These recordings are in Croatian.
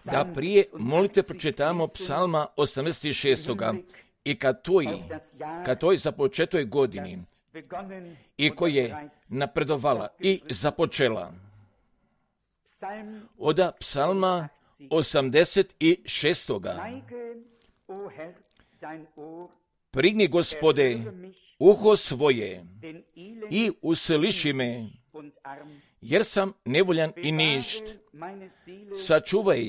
da prije molite pročitamo psalma 86. I kad toj započetoj godini i koji je napredovala i započela. Od psalma 86. Prigni, Gospode, uho svoje i usliši me, jer sam nevoljan i ništ. Sačuvaj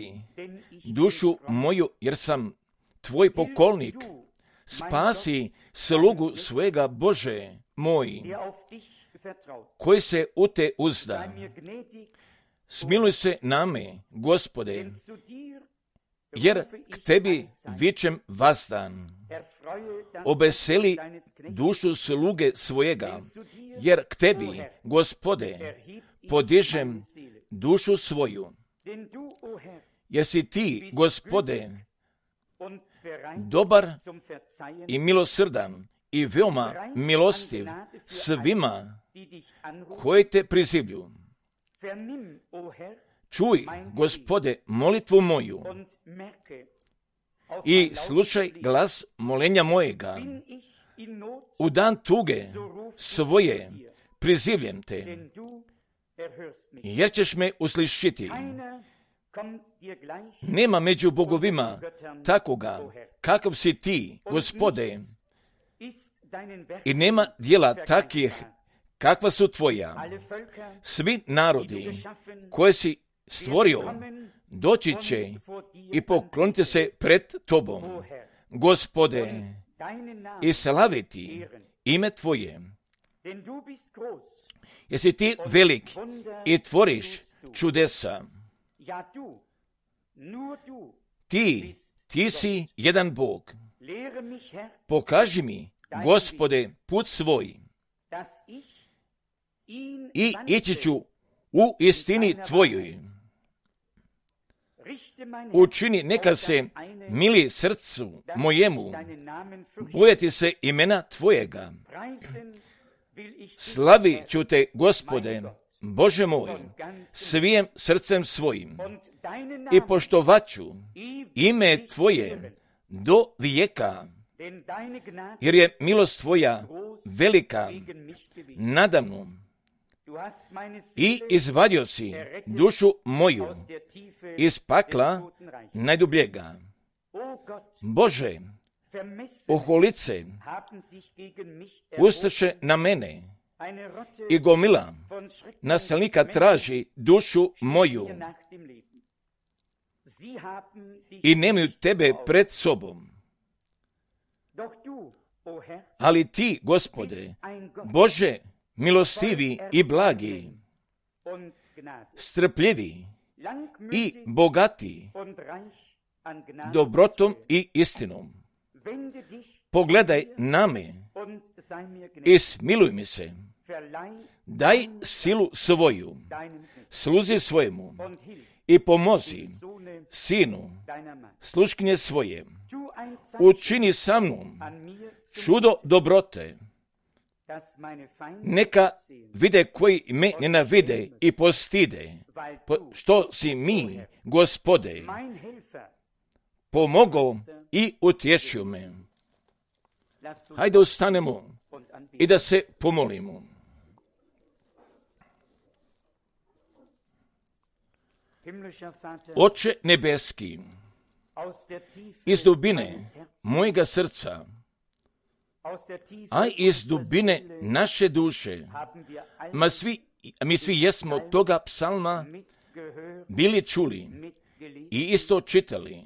dušu moju, jer sam tvoj pokolnik. Spasi slugu svega, Bože moj, koji se u te uzda. Smiluj se name, Gospode, jer k tebi vičem vazdan. Obeseli dušu sluge svojega, jer k tebi, Gospode, podižem dušu svoju. Jer si ti, Gospode, dobar i milosrdan i veoma milostiv svima koji te prizivlju. Čuj, Gospode, molitvu moju i slušaj glas molenja mojega. U dan tuge svoje prizivljem te, jer ćeš me uslišiti. Nema među bogovima takoga kakav si ti, Gospode, i nema djela takih kakva su tvoja. Svi narodi koje si stvorio doći će i pokloniti se pred tobom, Gospode, i slaviti ime tvoje. Jesi ti velik i tvoriš čudesa. Ti si jedan Bog. Pokaži mi, Gospode, put svoj i ići ću u istini tvojoj. Učini neka se mili srcu mojemu, bojati se imena tvojega. Slavi ću te, Gospode, Bože moj, svim srcem svojim i poštovat ću ime tvoje do vijeka, jer je milost tvoja velika nadamnom. I izvadio si dušu moju iz pakla najdubljega. Bože, oholice ustaše na mene i gomila nasilnika traži dušu moju i nemaju tebe pred sobom. Ali ti, Gospode, Bože, milostivi i blagi, strpljivi i bogati dobrotom i istinom. Pogledaj na me i smiluj mi se. Daj silu svoju sluzi svojemu i pomozi sinu sluškinje svoje. Učini sa mnom čudo dobrote. Neka vide koji me nenavide i postide, što si mi, Gospode, pomogao i utješio me. Hajde ustanemo i da se pomolimo. Oče nebeski, iz dubine mojega srca, a iz dubine naše duše, mi svi jesmo toga psalma bili čuli i isto čitali,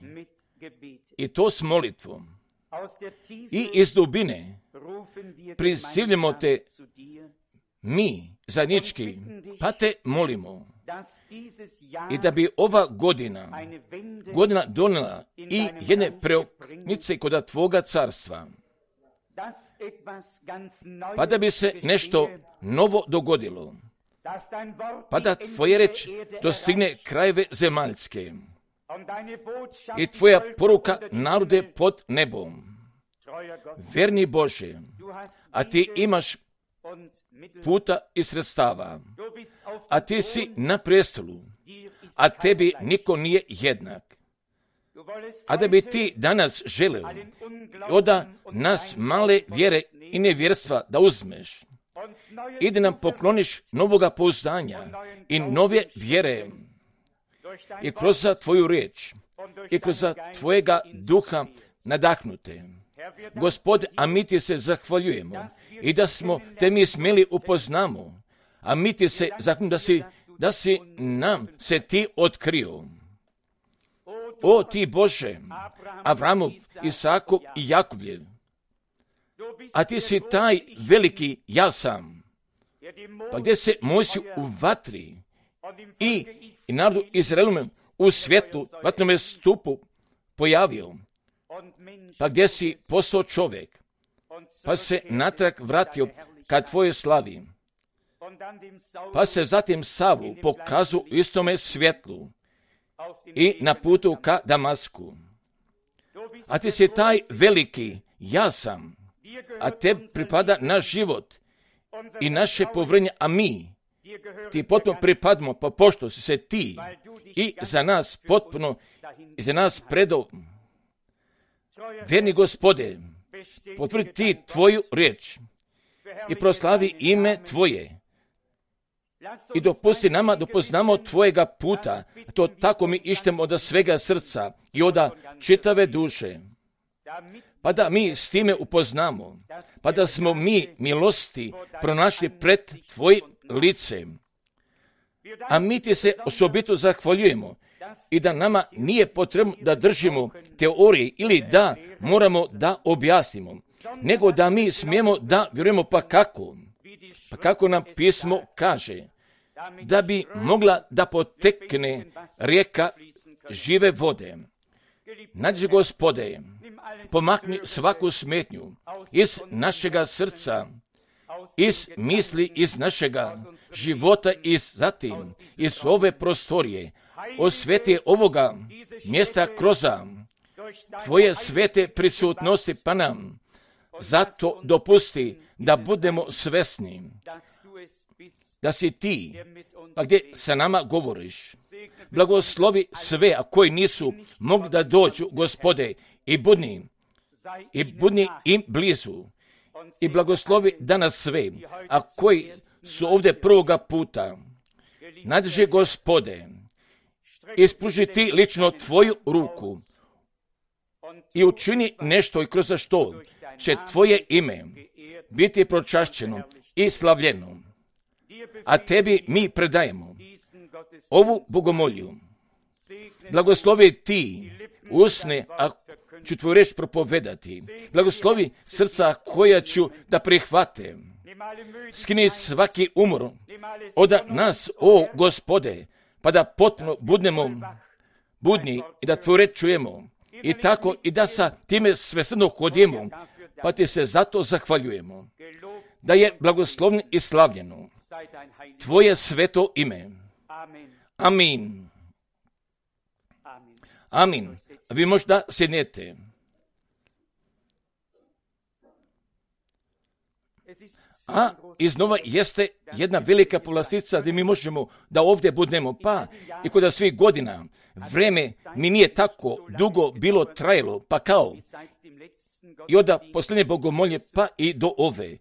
i to s molitvom. I iz dubine prizivljamo te mi zajednički, pa te molimo i da bi ova godina donijela i jedne preoknice kod tvoga carstva, pa da bi se nešto novo dogodilo, pa da tvoje reč dostigne krajeve zemaljske i tvoja poruka narode pod nebom. Verni Bože, a ti imaš puta i sredstava, a ti si na prestolu, a tebi niko nije jednak. A da bi ti danas želeo od nas male vjere i nevjerstva da uzmeš i da nam pokloniš novoga pouzdanja i nove vjere i kroz tvoju riječ i kroz tvojega duha nadahnute. Gospode, a mi ti se zahvaljujemo i da smo te mi smjeli upoznamo, a mi ti se zahvaljujemo da si nam se ti otkrio. O ti Bože, Avramov, Isakov i Jakovljev, a ti si taj veliki ja sam, pa gdje se Mojsiju u vatri i narodu Izraelovem u svjetlu, vatnome stupu pojavio, pa gdje si postao čovjek, pa se natrag vratio ka tvojoj slavi, pa se zatim Savlu pokazao u istome svjetlu i na putu ka Damasku. A ti si taj veliki ja sam, a te pripada naš život i naše povjerenje, a mi ti potpuno pripadamo, pa pošto si se ti i za nas potpuno i za nas predao. Vjerni Gospode, potvrdi ti tvoju riječ i proslavi ime tvoje i dopusti nama da poznamo tvojega puta, to tako mi ištemo od svega srca i od čitave duše, pa da mi s time upoznamo, pa da smo mi milosti pronašli pred tvojim licem. A mi ti se osobito zahvaljujemo i da nama nije potrebno da držimo teorije ili da moramo da objasnimo, nego da mi smijemo da vjerujemo pa kako nam pismo kaže, da bi mogla da potekne rijeka žive vode. Nađi Gospode, pomakni svaku smetnju iz našega srca, iz misli, iz našega života i zatim iz ove prostorije, osveti ovoga mjesta kroz tvoje svete prisutnosti, pa nam zato dopusti da budemo svesni da si ti, pa gdje sa nama govoriš. Blagoslovi sve, a koji nisu mogli da dođu, Gospode, i budni im blizu. I blagoslovi danas sve, a koji su ovdje prvoga puta. Nadrži, Gospode, ispruži ti lično tvoju ruku i učini nešto i kroz što će tvoje ime biti pročašćeno i slavljeno. A tebi mi predajemo ovu bogomolju. Blagoslovi ti usne, a ću tvoju riječ propovedati. Blagoslovi srca koja ću da prihvate. Skini svaki umor od nas, o Gospode, pa da potpuno budemo budni i da tvoju riječ čujemo. I tako i da sa time svesrdno hodimo, pa ti se zato zahvaljujemo. Da je blagoslovno i slavljeno tvoje sveto ime. Amin. Amin. Vi možda sjednete. A iznova jeste jedna velika povlastica gdje mi možemo da ovdje budemo, pa i kod svih godina vreme mi nije tako dugo bilo trajalo, pa kao i od posljednje bogomolje pa i do ove,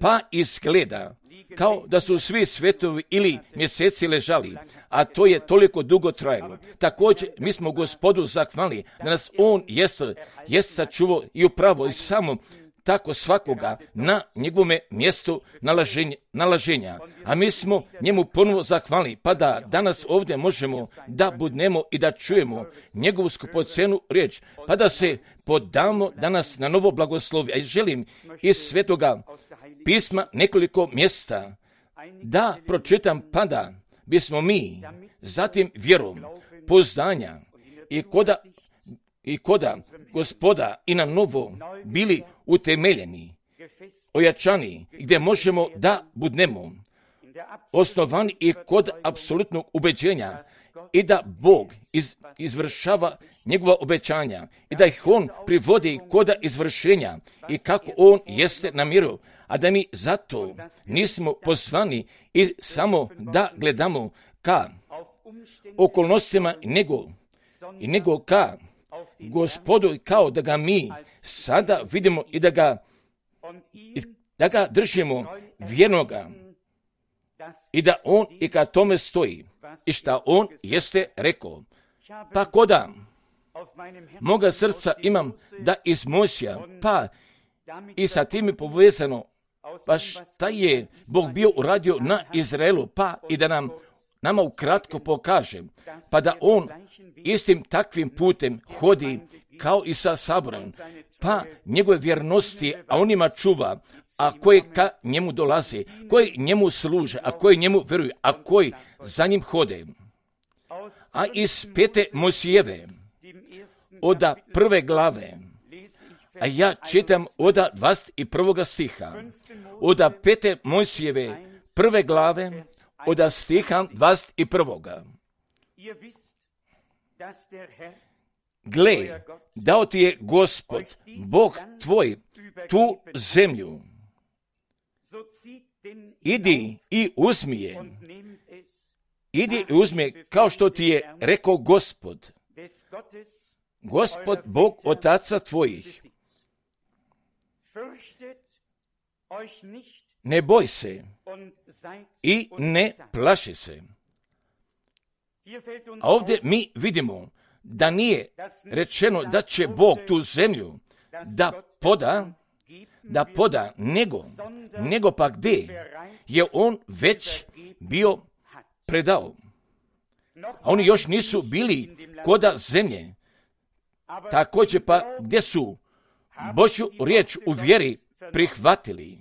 pa izgleda kao da su svi svetovi ili mjeseci ležali, a to je toliko dugo trajalo. Također, mi smo Gospodu zahvalili da nas On jest sačuvao i upravo i samo tako svakoga na njegovome mjestu nalaženja. A mi smo njemu ponovo zahvalili, pa da danas ovdje možemo da budnemo i da čujemo njegovu skupocenu riječ, pa da se podamo danas na novo blagoslovi. A želim iz svetoga pisma nekoliko mjesta da pročitam, pa da bismo mi zatim vjerom, pouzdanja i koda Gospoda i na novo bili utemeljeni, ojačani, gdje možemo da budnemo osnovani i kod apsolutnog ubeđenja i da Bog izvršava njegova obećanja i da ih On privodi kod izvršenja i kako On jeste namjerio, a da mi zato nismo pozvani i samo da gledamo ka okolnostima, nego ka Gospodu, kao da ga mi sada vidimo i da ga držimo vjernoga i da on i ka tome stoji i šta on jeste rekao. Pa koda moga srca imam da iz Mojsija, pa i sa tim je povezano, pa šta je Bog bio uradio na Izraelu, pa i da nama ukratko pokaže, pa da on istim takvim putem hodi kao i sa saborom, pa njegove vjernosti, a on ima čuva, a koji ka njemu dolazi, koji njemu služe, a koji njemu vjeruju, a koji za njim hode. A iz 5. Mojsijeve, oda 1. glave, a ja čitam oda 21. stiha, oda 5. Mojsijeve 1. glave, oda stiha 21. Gle, dao ti je Gospod, Bog tvoj, tu zemlju. Idi i uzmi je. Idi i uzmi je, kao što ti je rekao Gospod. Gospod, Bog otaca tvojih. Ne boj se i ne plaši se. A ovdje mi vidimo da nije rečeno da će Bog tu zemlju da poda, nego pa gdje je on već bio predao. A oni još nisu bili koda zemlje. Također pa gdje su Božju riječ u vjeri prihvatili.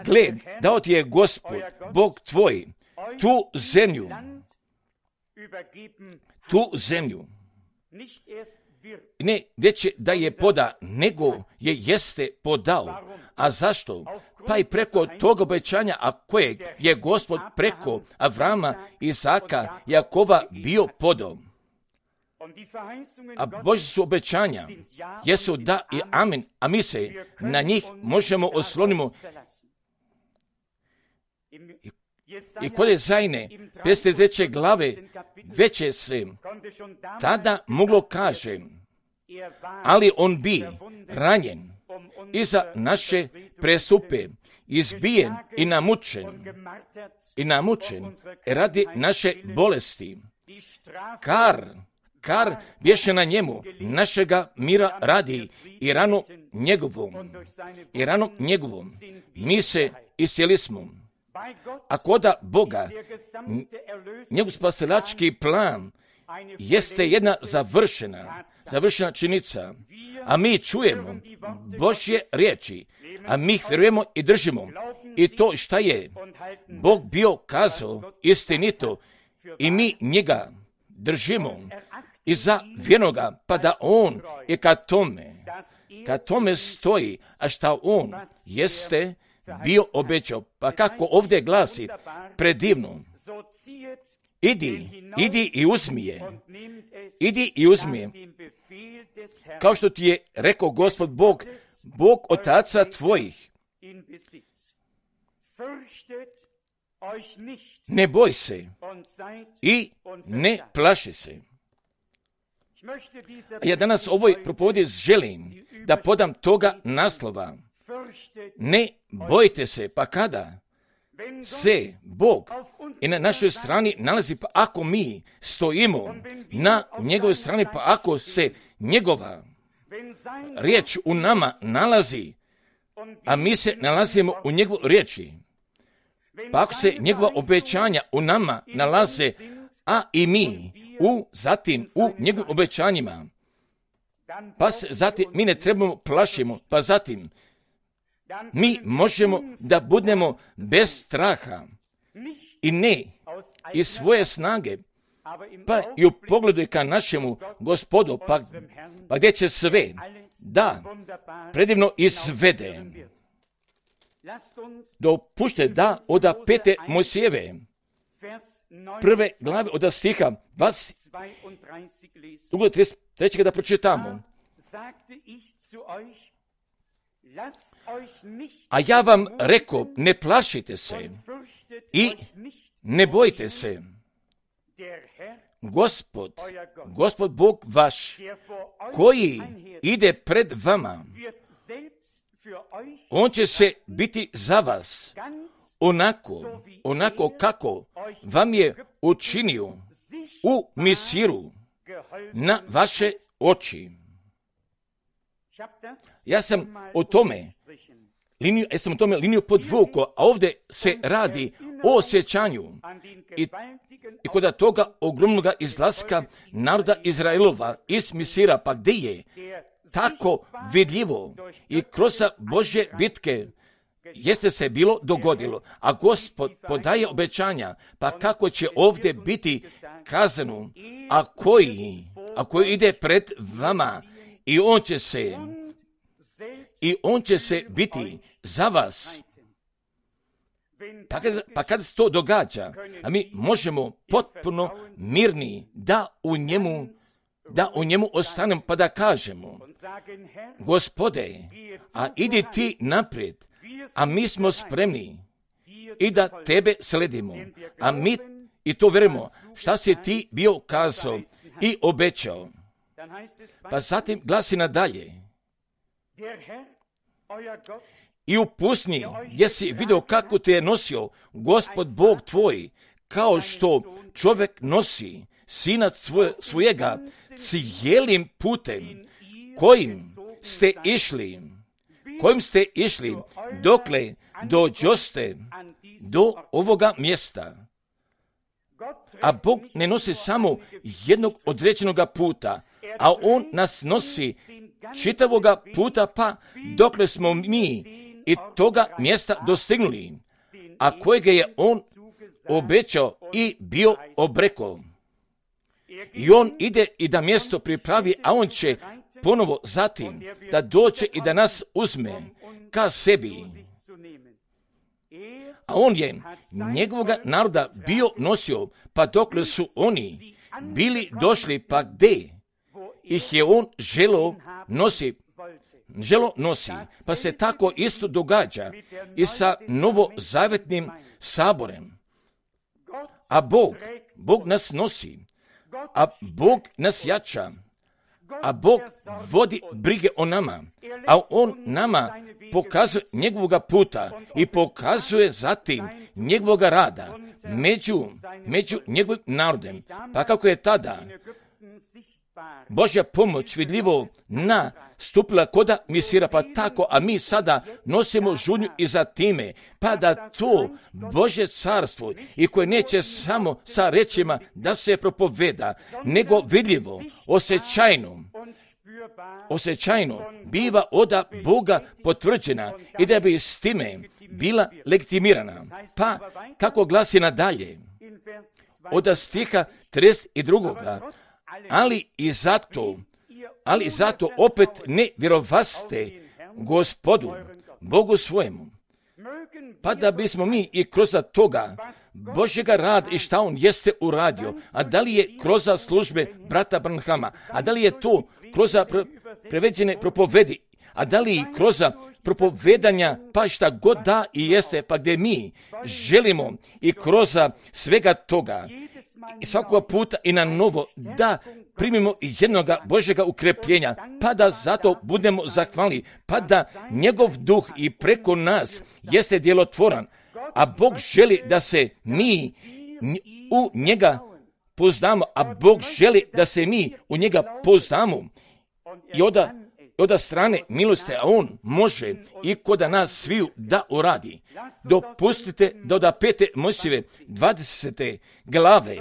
Gled, dao ti je Gospod, Bog tvoj, tu zemlju. Ne gdje će da je poda, nego jeste podao. A zašto? Pa i preko tog obećanja, a kojeg je Gospod preko Avrama, Isaka, Jakova bio podao. A Božje su obećanja, jesu da i amen, a mi se na njih možemo oslonimo. I kod je Zajne 53. glave veće se tada moglo kaže, ali on bi ranjen i za naše prestupe, izbijen i namučen radi naše bolesti. Kar bješe na njemu, našega mira radi i rano njegovom, mi se iscijeli smo. A koda Boga, njegov spasilački plan jeste jedna završena činjenica, a mi čujemo Božje riječi, a mi ih vjerujemo i držimo. I to šta je Bog bio kazao istinito i mi njega držimo i za vjernoga, pa da on i kad tome stoji, a šta on jeste bio obećao. Pa kako ovdje glasi, predivno, idi i uzmi je, kao što ti je rekao Gospod Bog otaca tvojih. Ne boj se i ne plaši se. Ja danas ovoj propovedi želim da podam toga naslova. Ne bojte se, pa kada se Bog i na našoj strani nalazi, pa ako mi stojimo na njegovoj strani, pa ako se njegova riječ u nama nalazi, a mi se nalazimo u njegovoj riječi, pa ako se njegova obećanja u nama nalaze, a i mi zatim u njegovim obećanjima, pa se zatim mi ne trebamo plašimo, pa zatim mi možemo da budemo bez straha i ne iz svoje snage, pa i u pogledu ka našemu Gospodu, pa gdje će sve da predivno izvede. Dopušte da od 5. Mojsijeve 1. glave od stiha 33. da pročitamo. A ja vam reko, ne plašite se i ne bojte se. Gospod Bog vaš, koji ide pred vama, on će se biti za vas onako kako vam je učinio u Misiru na vaše oči. Ja sam o tome liniju podvukao, a ovdje se radi o osjećanju i kod toga ogromnog izlaska naroda Izraelova iz Misira, pa gdje je tako vidljivo i kroz Božje bitke jeste se bilo dogodilo, a Gospod podaje obećanja, pa kako će ovdje biti kazano, a koji ide pred vama i on će se biti za vas. Pa kad se to događa, a mi možemo potpuno mirni da u njemu ostanemo, pa da kažemo, Gospode, a idi ti naprijed, a mi smo spremni i da tebe sledimo, a mi i to vjerujemo, šta si ti bio kazao i obećao. Pa zatim glasi nadalje, i u pustinji gdje si vidio kako te je nosio Gospod Bog tvoj, kao što čovjek nosi sina svojega cijelim putem kojim ste išli dokle dođoste do ovoga mjesta. A Bog ne nosi samo jednog određenog puta, a on nas nosi čitavoga puta, pa dokle smo mi i toga mjesta dostignuli, a kojega je on obećao i bio obrekao. I on ide i da mjesto pripravi, a on će ponovo zatim da dođe i da nas uzme ka sebi. A on je njegovoga naroda bio nosio, pa dokle su oni bili došli, pa gdje ih je on želo nosi, pa se tako isto događa i sa novozavetnim saborem. A Bog nas nosi, a Bog nas jača, a Bog vodi brige o nama, a on nama pokazuje njegovoga puta i pokazuje zatim njegovoga rada među njegovim narodem. Pa kako je tada Božja pomoć vidljivo nastupila koda Misira, pa tako, a mi sada nosimo žudnju i za time, pa da to Božje carstvo i koje neće samo sa rečima da se propoveda, nego vidljivo, osjećajno biva od Boga potvrđena i da bi s time bila legitimirana. Pa kako glasi nadalje od stiha 32. Ali zato opet ne vjerovaste Gospodu, Bogu svojemu. Pa da bismo mi i kroz toga Božjega rada i šta on jeste uradio, a da li je kroz službe brata Branhama, a da li je to kroz preveđene propovedi, a da li kroz propovedanja, pa šta god da i jeste, pa gdje mi želimo i kroz svega toga i svakog puta i na novo da primimo jednoga Božjega ukrepljenja, pa da zato budemo zahvalni, pa da njegov duh i preko nas jeste djelotvoran, a Bog želi da se mi u njega poznamo, a Bog želi da se mi u njega poznamo i od strane milosti, a on može i kod nas sviju da uradi. Dopustite da od 5. Mojsijeve 20. glave,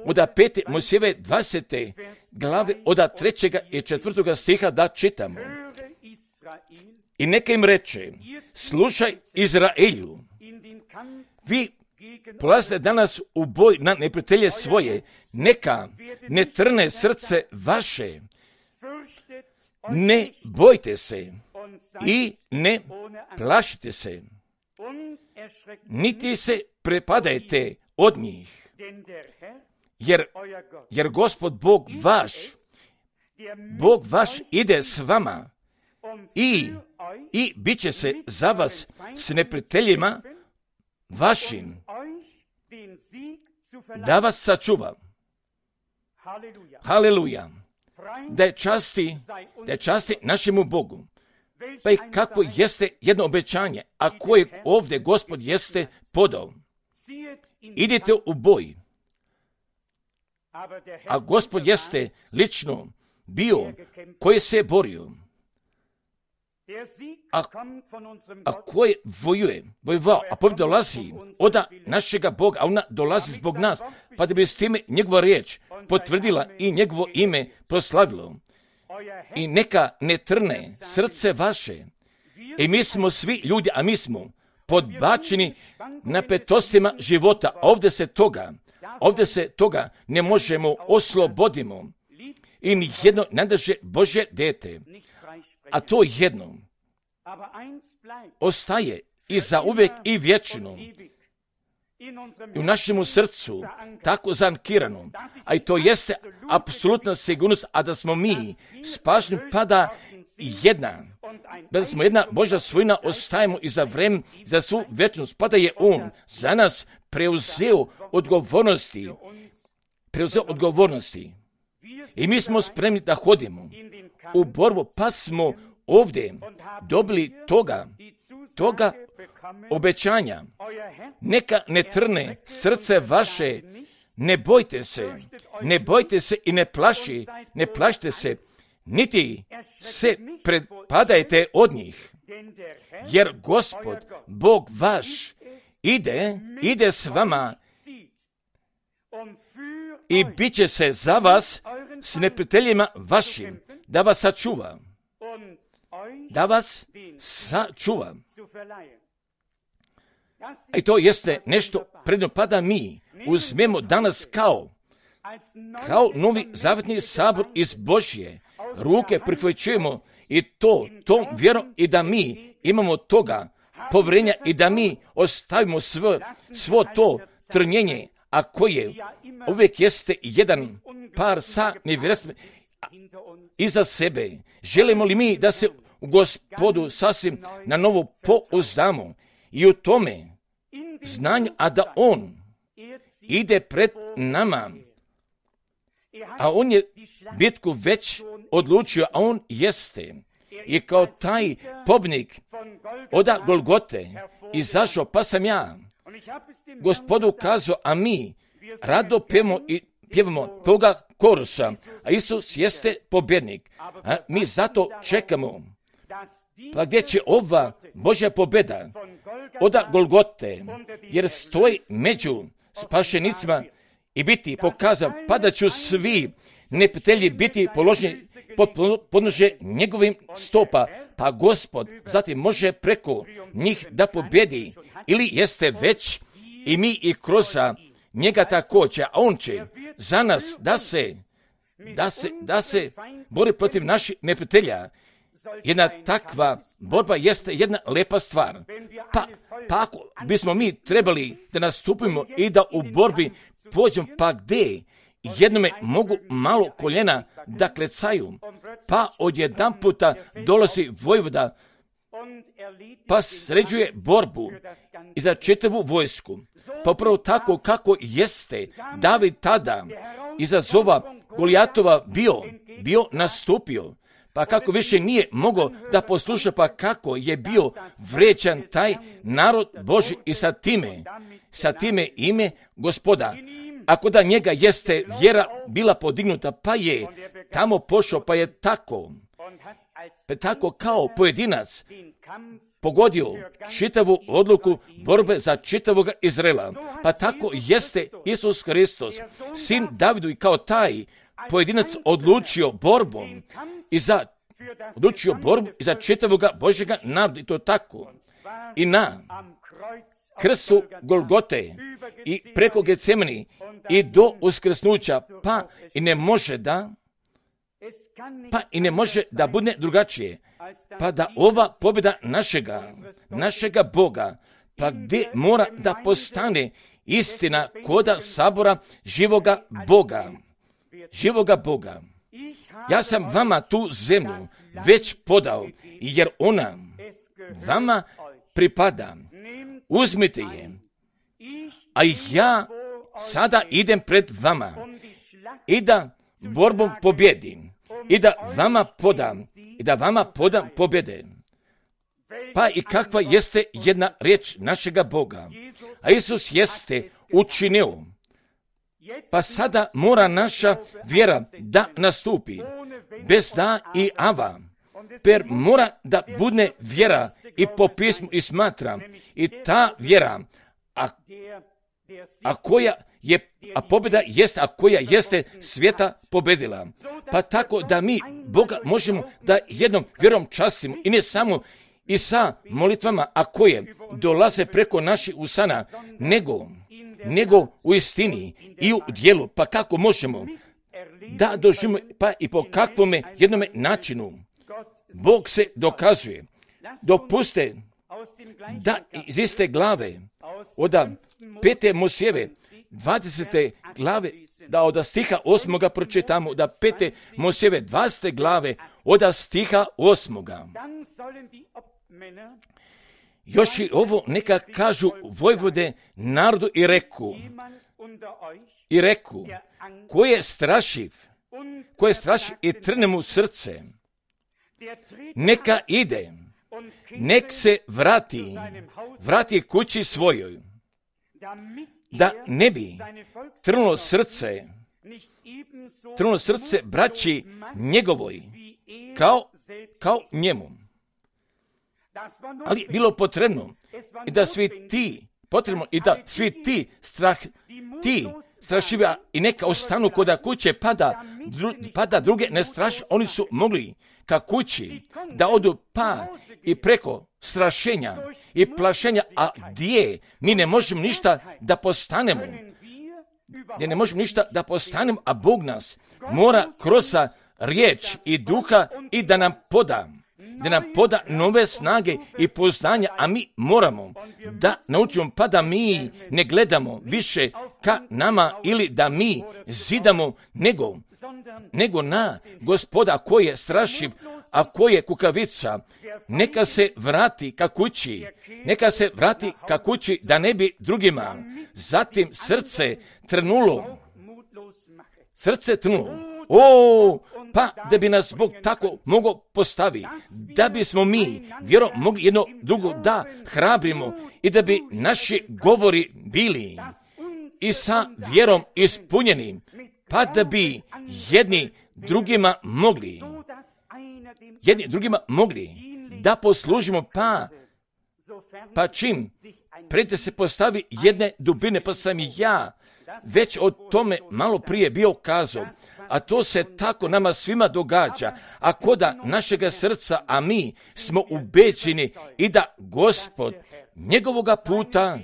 od 5. Mojsijeve 20. glave, od 3. i 4. stiha da čitamo. I neka im reče, slušaj Izraelju, vi polazite danas u boj na neprijatelje svoje, neka ne trne srce vaše, ne bojte se i ne plašite se, niti se prepadajte od njih, jer Gospod Bog vaš ide s vama i bit će se za vas s neprijateljima vašim, da vas sačuva. Haleluja. Da je časti našemu Bogu. Pa i kakvo jeste jedno obećanje, a koje ovdje Gospod jeste podao. Idite u boj. A Gospod jeste lično bio koji se je borio. A koji vojevao, a pobjeda dolazi od našega Boga, a ona dolazi zbog nas, pa da bi s time njegova riječ potvrdila i njegovo ime proslavilo. I neka ne trne srce vaše. I mi smo svi ljudi, a mi smo podbačeni napetostima života. Ovdje se toga ne možemo oslobodimo. I nijedno najdraže Božje dete. A to jedno ostaje i za uvijek i vječno u našemu srcu tako zankirano, a i to jeste apsolutna sigurnost, a da smo mi spašeni, pa da smo jedna Božja svojina, ostajemo i za vreme, za svu vječnost, pa da je On za nas preuzeo odgovornosti. I mi smo spremni da hodimo u borbu, pa smo ovdje dobili toga obećanja. Neka ne trne srce vaše, ne bojte se i ne plašite se, niti se prepadajte od njih. Jer Gospod, Bog vaš, ide s vama i bit će se za vas s neprijateljima vašim, da vas sačuva. I to jeste nešto predno, pa da mi uzmemo danas kao novi zavetni sabor iz Božje ruke prihvaćujemo i tom vjerom, i da mi imamo toga povjerenja i da mi ostavimo svo to trnjenje, a koje uvijek jeste jedan par sa nevjerstvom iza sebe. Želimo li mi da se u Gospodu sasvim na novo pouzdamo i u tome znanju, a da On ide pred nama, a On je bitku već odlučio, a On jeste i kao taj pobjednik od Golgote izašao, pa sam ja Gospodu kazao, a mi rado pjevamo toga korusa, a Isus jeste pobjednik. A mi zato čekamo. Pa gdje će ova Božja pobjeda od Golgote, jer stoji među spašenicima i biti pokazan, pa da ću svi neprijatelji biti položeni pod podnožje njegovim stopa, pa Gospod zatim može preko njih da pobjedi, ili jeste već i mi i kroz njega također, a On će za nas da se bori protiv naših neprijatelja. Jedna takva borba jeste jedna lepa stvar. Pa ako bismo mi trebali da nastupimo i da u borbi pođemo, pa gdje jednome mogu malo koljena da klecaju, pa odjedanputa dolazi vojvoda, pa sređuje borbu i za čitavu vojsku. Pa upravo tako kako jeste David tada izazova Golijatova bio nastupio, pa kako više nije mogao da posluša, pa kako je bio vređan taj narod Božji i sa time ime Gospoda. Ako da njega jeste vjera bila podignuta, pa je tamo pošao, pa je tako kao pojedinac pogodio čitavu odluku borbe za čitavog Izraela. Pa tako jeste Isus Hristos, sin Davidu, i kao taj pojedinac odlučio borbu i za čitavog Božjega naroda, i to tako. I na krstu Golgote i preko Getsemani i do uskrsnuća, pa i ne može da bude drugačije, pa da ova pobjeda našega Boga, pa gdje mora da postane istina koda sabora živoga Boga. Ja sam vama tu zemlju već podao, jer ona vama pripada. Uzmite je, a ja sada idem pred vama i da borbom pobjedim i da vama podam pobjede. Pa i kakva jeste jedna riječ našega Boga. A Isus jeste učinio. Pa sada mora naša vjera da nastupi. Bez da i ava. Per mora da bude vjera i po pismu i smatra. I ta vjera, a pobjeda jest, a koja jeste svijeta pobjedila. Pa tako da mi Boga možemo da jednom vjerom častimo i ne samo i sa molitvama, a koje dolaze preko naših usana, nego u istini i u djelu. Pa kako možemo da doživimo, pa i po kakvome jednome načinu Bog se dokazuje. Dopuste da iz iste glave, od 5. Mojsijeve 20. glave, da od stiha 8. pročitamo, da 5. Mojsijeve 20. glave, od stiha 8. Još i ovo neka kažu vojvode narodu i reku, ko je strašiv i trne mu srce, neka ide, nek se vrati kući svojoj, da ne bi trnulo srce braći njegovoj, kao njemu. Ali bilo potrebno i da svi ti strašivi i neka ostanu kod kuće, pa da druge ne straši. Oni su mogli ka kući da odu pa i preko strašenja i plašenja, a gdje mi ne možemo ništa da postanemo, a Bog nas mora kroz riječ i duha i da nam poda nove snage i poznanja, a mi moramo da naučimo, pa da mi ne gledamo više ka nama ili da mi zidamo, nego na Gospoda koji je strašiv, a koji je kukavica. Neka se vrati ka kući, da ne bi drugima zatim srce trnulo. Pa da bi nas Bog tako mogao postaviti, da bismo mi vjerom mogli jedno drugo da hrabrimo i da bi naši govori bili i sa vjerom ispunjeni, pa da bi jedni drugima da poslužimo, pa čim prete se postavi jedne dubine, pa sam i ja već o tome malo prije bio kazao, a to se tako nama svima događa, a koda našega srca, a mi smo ubeđeni i da Gospod njegovoga puta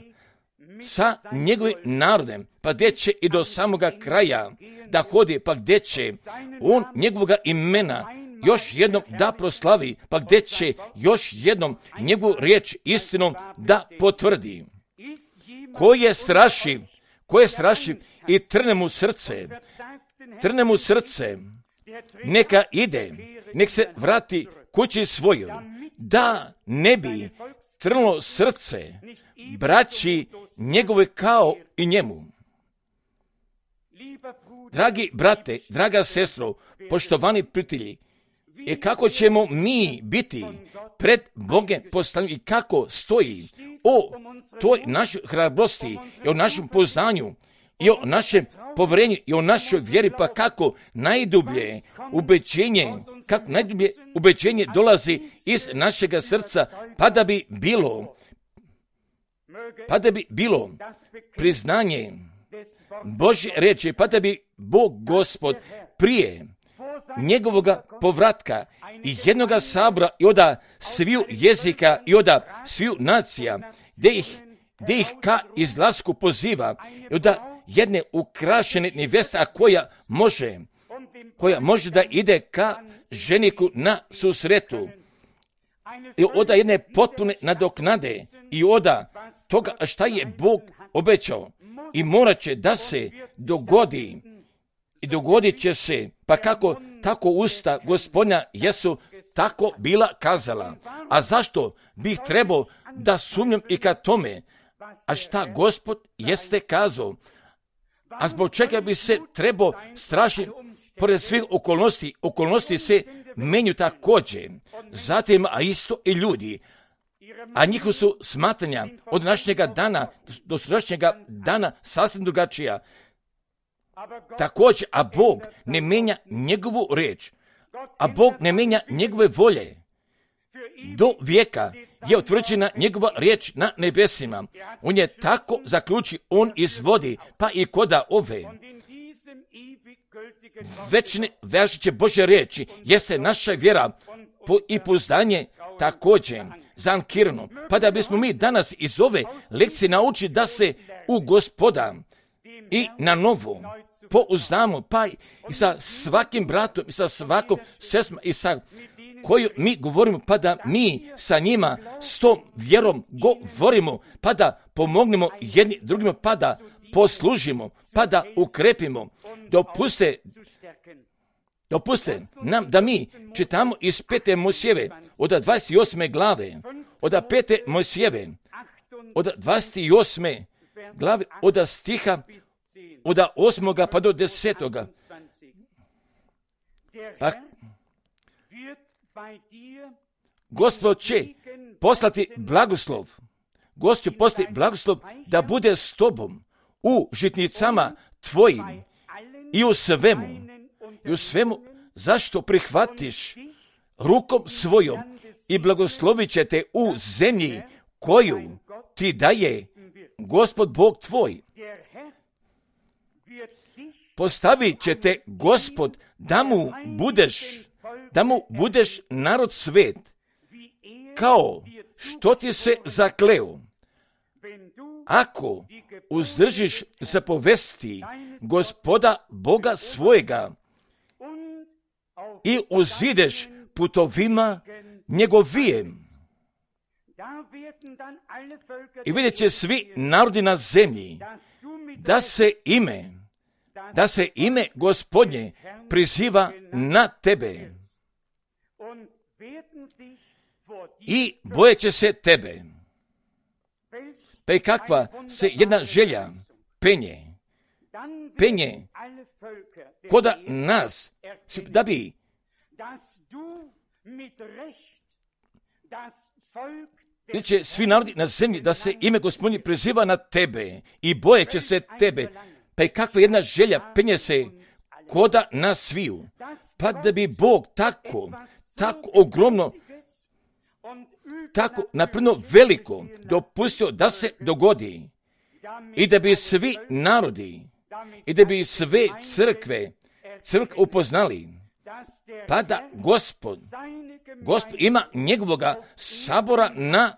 sa njegovim narodem, pa gdje će i do samoga kraja da hodi, pa gdje će on njegovoga imena još jednom da proslavi, pa gdje će još jednom njegovu riječ istinom da potvrdi. Ko je strašiv i trne mu srce, neka ide, nek se vrati kući svojoj, da ne bi trnulo srce braći njegove kao i njemu. Dragi brate, draga sestro, poštovani prijatelji, i kako ćemo mi biti pred Bogom postavljeni i kako stoji o toj našoj hrabrosti i o našem poznanju i o našem povjerenju i o našoj vjeri, pa kako najdublje ubeđenje dolazi iz našega srca, pa da bi bilo priznanje Božje riječi, pa da bi Bog Gospod prije njegovoga povratka i jednoga sabora i oda sviju jezika i oda sviju nacija, gdje ih ka izlasku poziva i oda jedne ukrašene neveste, a koja može da ide ka ženiku na susretu i oda jedne potpune nadoknade i oda toga šta je Bog obećao i morat će da se dogodi i dogodit će se, pa kako tako usta Gospodnja jesu tako bila kazala. A zašto bih trebao da sumnjam i ka tome, a šta Gospod jeste kazao? A zbog čega bi se trebao strašiti pored svih okolnosti se menju također. Zatim, a isto i ljudi, a njihova su smatranja od današnjega dana do sutrašnjega dana sasvim drugačija. Također, a Bog ne mijenja njegovu riječ, a Bog ne mijenja njegove volje. Do vijeka je utvrđena njegova riječ na nebesima. On je tako zaključi, on izvodi, pa i koda ove večne važeće Božje riječi jeste naša vjera i pouzdanje također zankirano. Pa da bismo mi danas iz ove lekcije naučili da se u Gospoda i na novo pouzdamo, pa i sa svakim bratom i sa svakom sestrom i sa koju mi govorimo, pa da mi sa njima s tom vjerom govorimo, pa da pomognemo jedni drugima, pa da poslužimo, pa da ukrepimo. Dopuste nam da mi čitamo iz 5. Mojsijeve od 28. glave, od 5. Mojsijeve od 28. glave, od stiha od 8. pa do 10. Pa Gospod će poslati blagoslov. Gospod će poslati blagoslov da bude s tobom u žitnicama tvojim i u svemu zašto prihvatiš rukom svojom i blagoslovit će te u zemlji koju ti daje Gospod Bog tvoj. Postavit će te Gospod da mu budeš narod svet, kao što ti se zakleo. Ako uzdržiš zapovesti Gospoda Boga svojega i uzideš putovima njegovijem. I vidjet će svi narodi na zemlji da se ime Gospodnje priziva na tebe i bojeće se tebe. Pa i kakva se jedna želja penje koda nas, da bi će svi narodi na zemlji da se ime Gospodnje priziva na tebe i bojeće se tebe. Pa i kakva jedna želja penje se koda nas sviju, pa da bi Bog tako ogromno, tako naprno veliko dopustio da se dogodi i da bi svi narodi i da bi sve crkve upoznali, pa da Gospod ima njegovoga sabora na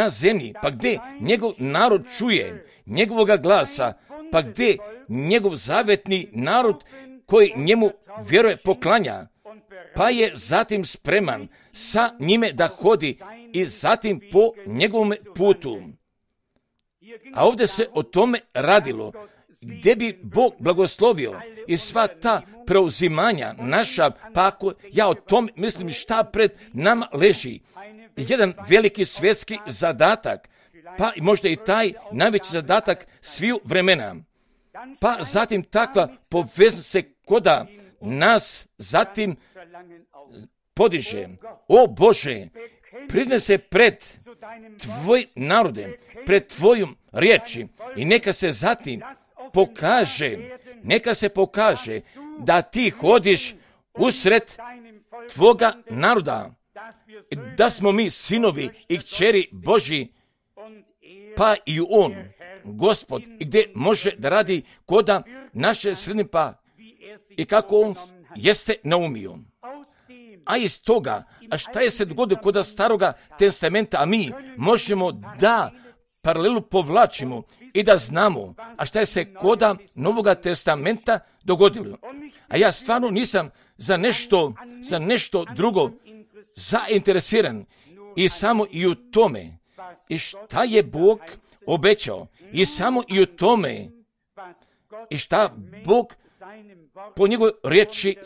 zemlji, pa gdje njegov narod čuje njegovoga glasa, pa gdje njegov zavetni narod koji njemu vjeruje poklanja, pa je zatim spreman sa njime da hodi i zatim po njegovom putu. A ovdje se o tome radilo, gdje bi Bog blagoslovio i sva ta preuzimanja naša, pa ako ja o tom mislim šta pred nama leži, jedan veliki svjetski zadatak, pa možda i taj najveći zadatak sviju vremena. Pa zatim takva poveznost se koda nas zatim podiže. O Bože, priznaj se pred tvoj narodem, pred tvojom riječi i neka se zatim pokaže da ti hodiš usred tvoga naroda, da smo mi sinovi i kćeri Božji, pa i on, Gospod, i gdje može da radi koda naše sredine, pa i kako on jeste naumio. A iz toga, a šta je se dogodilo koda staroga testamenta, a mi možemo da paralelu povlačimo i da znamo, a šta je se koda Novoga testamenta dogodilo. A ja stvarno nisam za nešto drugo zainteresiran i samo i u tome i šta je Bog obećao i samo i u tome i šta Bog po njegovoj riječi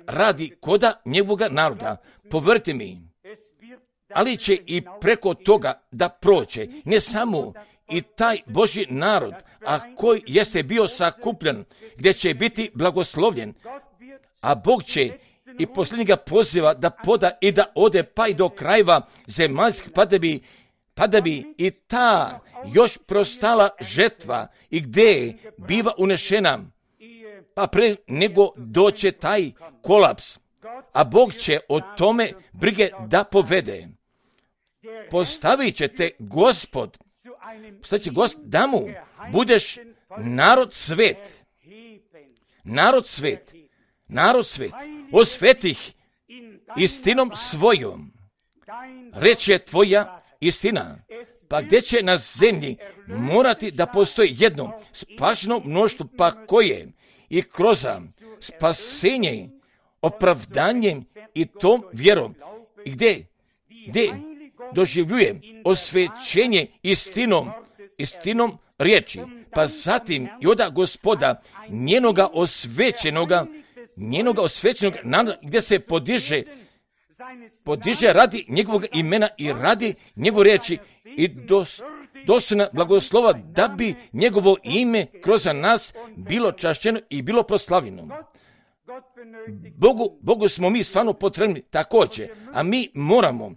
radi koda njegovoga naroda. Povjerujte mi, ali će i preko toga da prođe, ne samo i taj Božji narod, a koji jeste bio sakupljen, gdje će biti blagoslovljen, a Bog će i posljednjega poziva da poda i da ode pa i do krajeva zemaljskih, pa da bi i ta još prostala žetva i gdje biva unešena, pa pre nego doće taj kolaps, a Bog će o tome brige da povede. Postavit će te Gospod da mu budeš narod svet, osvetih istinom svojom. Reč je tvoja istina. Pa gdje će na zemlji morati da postoji jedno spašeno mnoštvo, pa koje i kroz spasenje, opravdanjem i tom vjerom, i gdje doživljuje osvećenje istinom riječi, pa zatim i oda Gospoda njenoga osvećenoga naroda, gdje se podiže radi njegovog imena i radi njegove riječi i dostojna blagoslova, da bi njegovo ime kroz nas bilo čašćeno i bilo proslavljeno. Bogu smo mi stvarno potrebni također, a mi moramo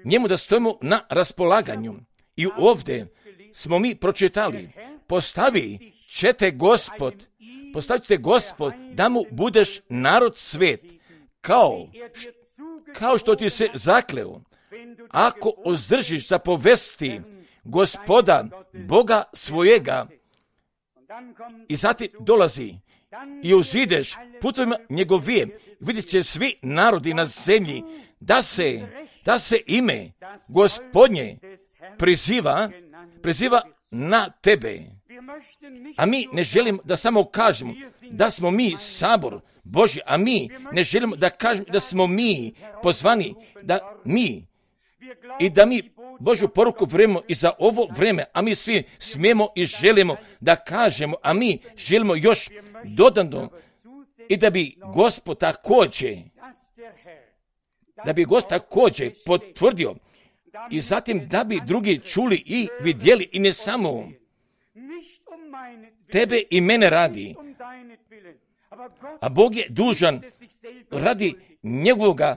njemu da stojimo na raspolaganju. I ovdje smo mi pročitali, postavit ćete Gospod da mu budeš narod svet, kao što ti se zakleo, ako uzdržiš za povesti Gospoda, Boga svojega, i zatim dolazi i uzideš putovima njegovim, vidjet će svi narodi na zemlji da se ime Gospodnje priziva na tebe. A mi ne želimo da samo kažemo da smo mi sabor Božji, a mi ne želimo da kažemo da smo mi pozvani, da mi Božju poruku vrememo i za ovo vreme, a mi svi smijemo i želimo da kažemo, a mi želimo još dodano, i da bi Gospod također potvrdio, i zatim da bi drugi čuli i vidjeli, i ne samo tebe i mene radi, a Bog je dužan radi njegovoga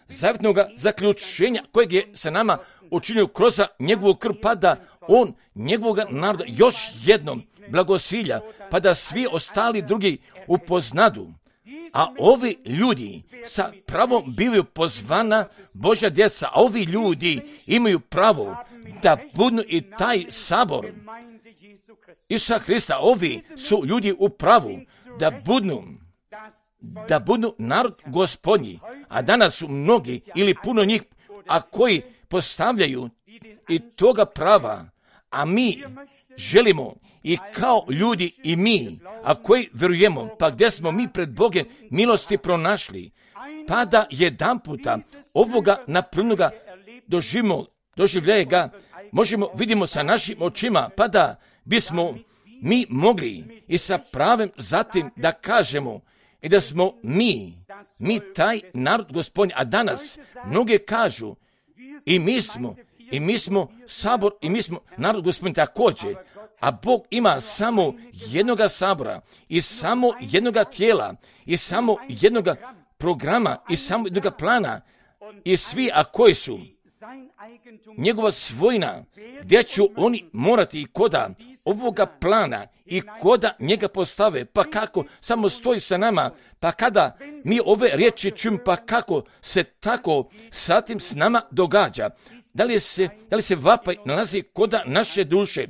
zavjetnog zaključenja kojeg je sa nama učinio kroz njegovu krv, pa da on njegovog naroda još jednom blagosilja, pa da svi ostali drugi upoznadu. A ovi ljudi sa pravom bivaju pozvana Božja djeca, a ovi ljudi imaju pravo da budu i taj sabor Isusa Hrista. Ovi su ljudi u pravu da budu narod Gospodnji, a danas su mnogi ili puno njih, a koji postavljaju i toga prava, a mi želimo i kao ljudi i mi, a koji vjerujemo, pa gdje smo mi pred Bogom milosti pronašli, pa da jedanputa ovoga naprvnoga doživljaje ga, vidimo sa našim očima, pa da bismo mi mogli i sa pravem zatim da kažemo i da smo mi taj narod Gospodnji. A danas mnoge kažu i mi smo sabor i mi smo narod Gospodnji također, a Bog ima samo jednoga sabora i samo jednoga tijela i samo jednoga programa i samo jednoga plana, i svi, a koji su njegova svojina, gdje će oni morati i koda ovoga plana i koda njega postave, pa kako samo stoji sa nama, pa kada mi ove riječi čujemo, pa kako se tako satim s nama događa, da li se vapaj nalazi koda naše duše.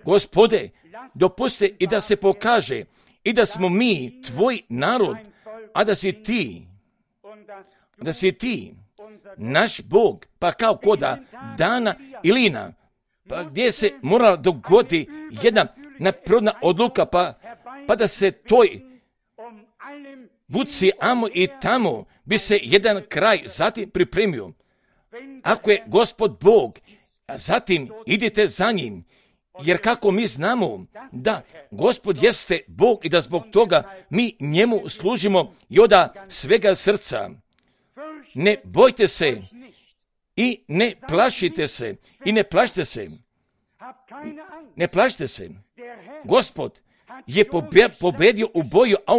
Gospode, dopusti i da se pokaže i da smo mi tvoj narod, a da si ti naš Bog, pa kao koda Dana i Lina, pa gdje se morala dogoditi jedna neprirodna odluka, pa da se toj vuci amo i tamo bi se jedan kraj zatim pripremio. Ako je Gospod Bog, zatim idite za njim, jer kako mi znamo da Gospod jeste Bog i da zbog toga mi njemu služimo i od svega srca. Ne bojte se I ne plašite se, i ne plašite se. Ne plašite se. Gospod je pobedio u boju, a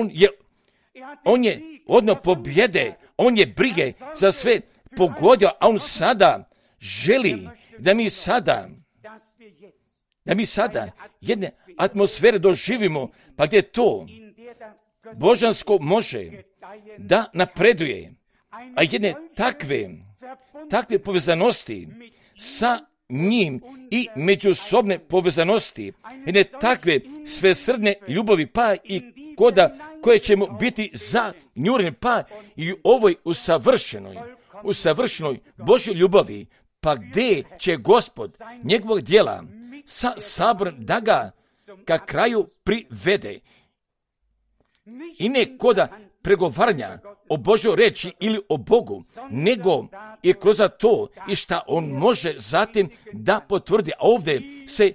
on je odno pobjede, on je brige za sve pogodio, a on sada želi da mi sada jedne atmosfere doživimo, pa gdje to božansko može da napreduje, a jedne takve povezanosti sa njim i međusobne povezanosti, jedne takve svesrdne ljubavi, pa i koje ćemo biti zanjureni, pa i u ovoj usavršenoj Božjoj ljubavi, pa gdje će Gospod njegovog djela sa saborom da ga ka kraju privede. I ne koda pregovaranja o Božoj reči ili o Bogu, nego i kroz to i šta on može zatim da potvrdi. A ovdje se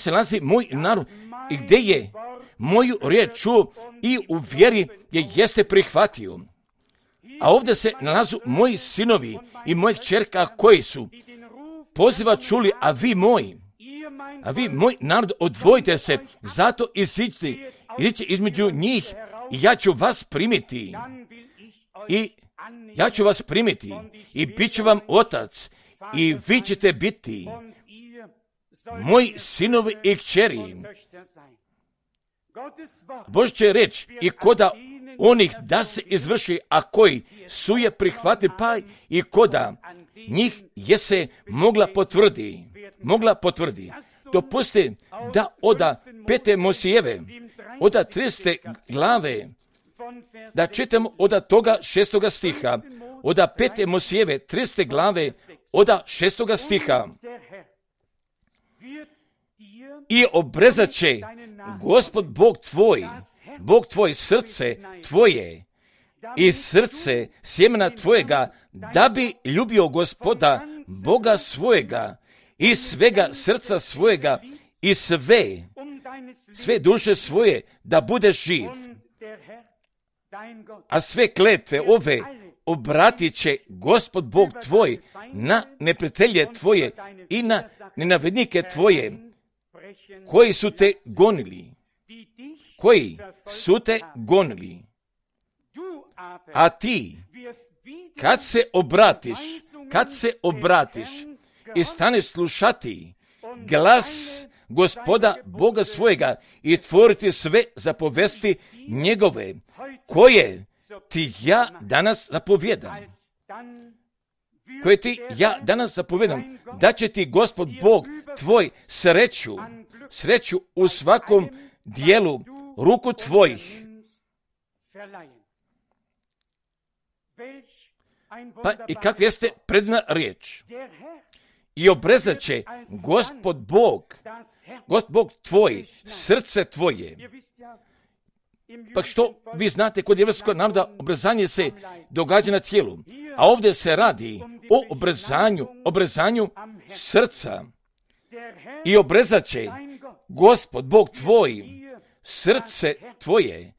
nalazi moj narod i gdje je moju riječ čuo i u vjeri je jeste prihvatio. A ovdje se nalazu moji sinovi i moje kćerka koji su poziva čuli, a vi moj narod, odvojite se, zato iziđite između njih i ja ću vas primiti. I bit ću vam otac i vi ćete biti moji sinovi i kćeri. Božja reč i koda onih da se izvrši, a koji su je prihvatili, pa i koda njih je se mogla potvrdi. Dopusti da oda 5. Mojsijeve, oda 30. glave, da čitamo oda toga 6. stiha, oda 5. Mojsijeve 30. glave, oda 6. stiha. I obrezat će Gospod Bog tvoj srce tvoje i srce sjemena tvojega, da bi ljubio Gospoda Boga svojega i svega srca svojega i sve duše svoje, da budeš živ. A sve kletve ove obratit će Gospod Bog tvoj na neprijatelje tvoje i na nenavednike tvoje, koji su te gonili. A ti, kad se obratiš i staneš slušati glas Gospoda Boga svojega i tvoriti sve zapovesti njegove, koje ti ja danas zapovijedam, da će ti Gospod Bog tvoj sreću u svakom dijelu ruku tvojih. Pa i kakva jeste predna riječ? I obrezat će Gospod Bog tvoj srce tvoje. Pa što vi znate, kod jevrijskog naroda obrezanje se događa na tijelu, a ovdje se radi o obrezanju srca. I obrezat će Gospod Bog tvoj srce tvoje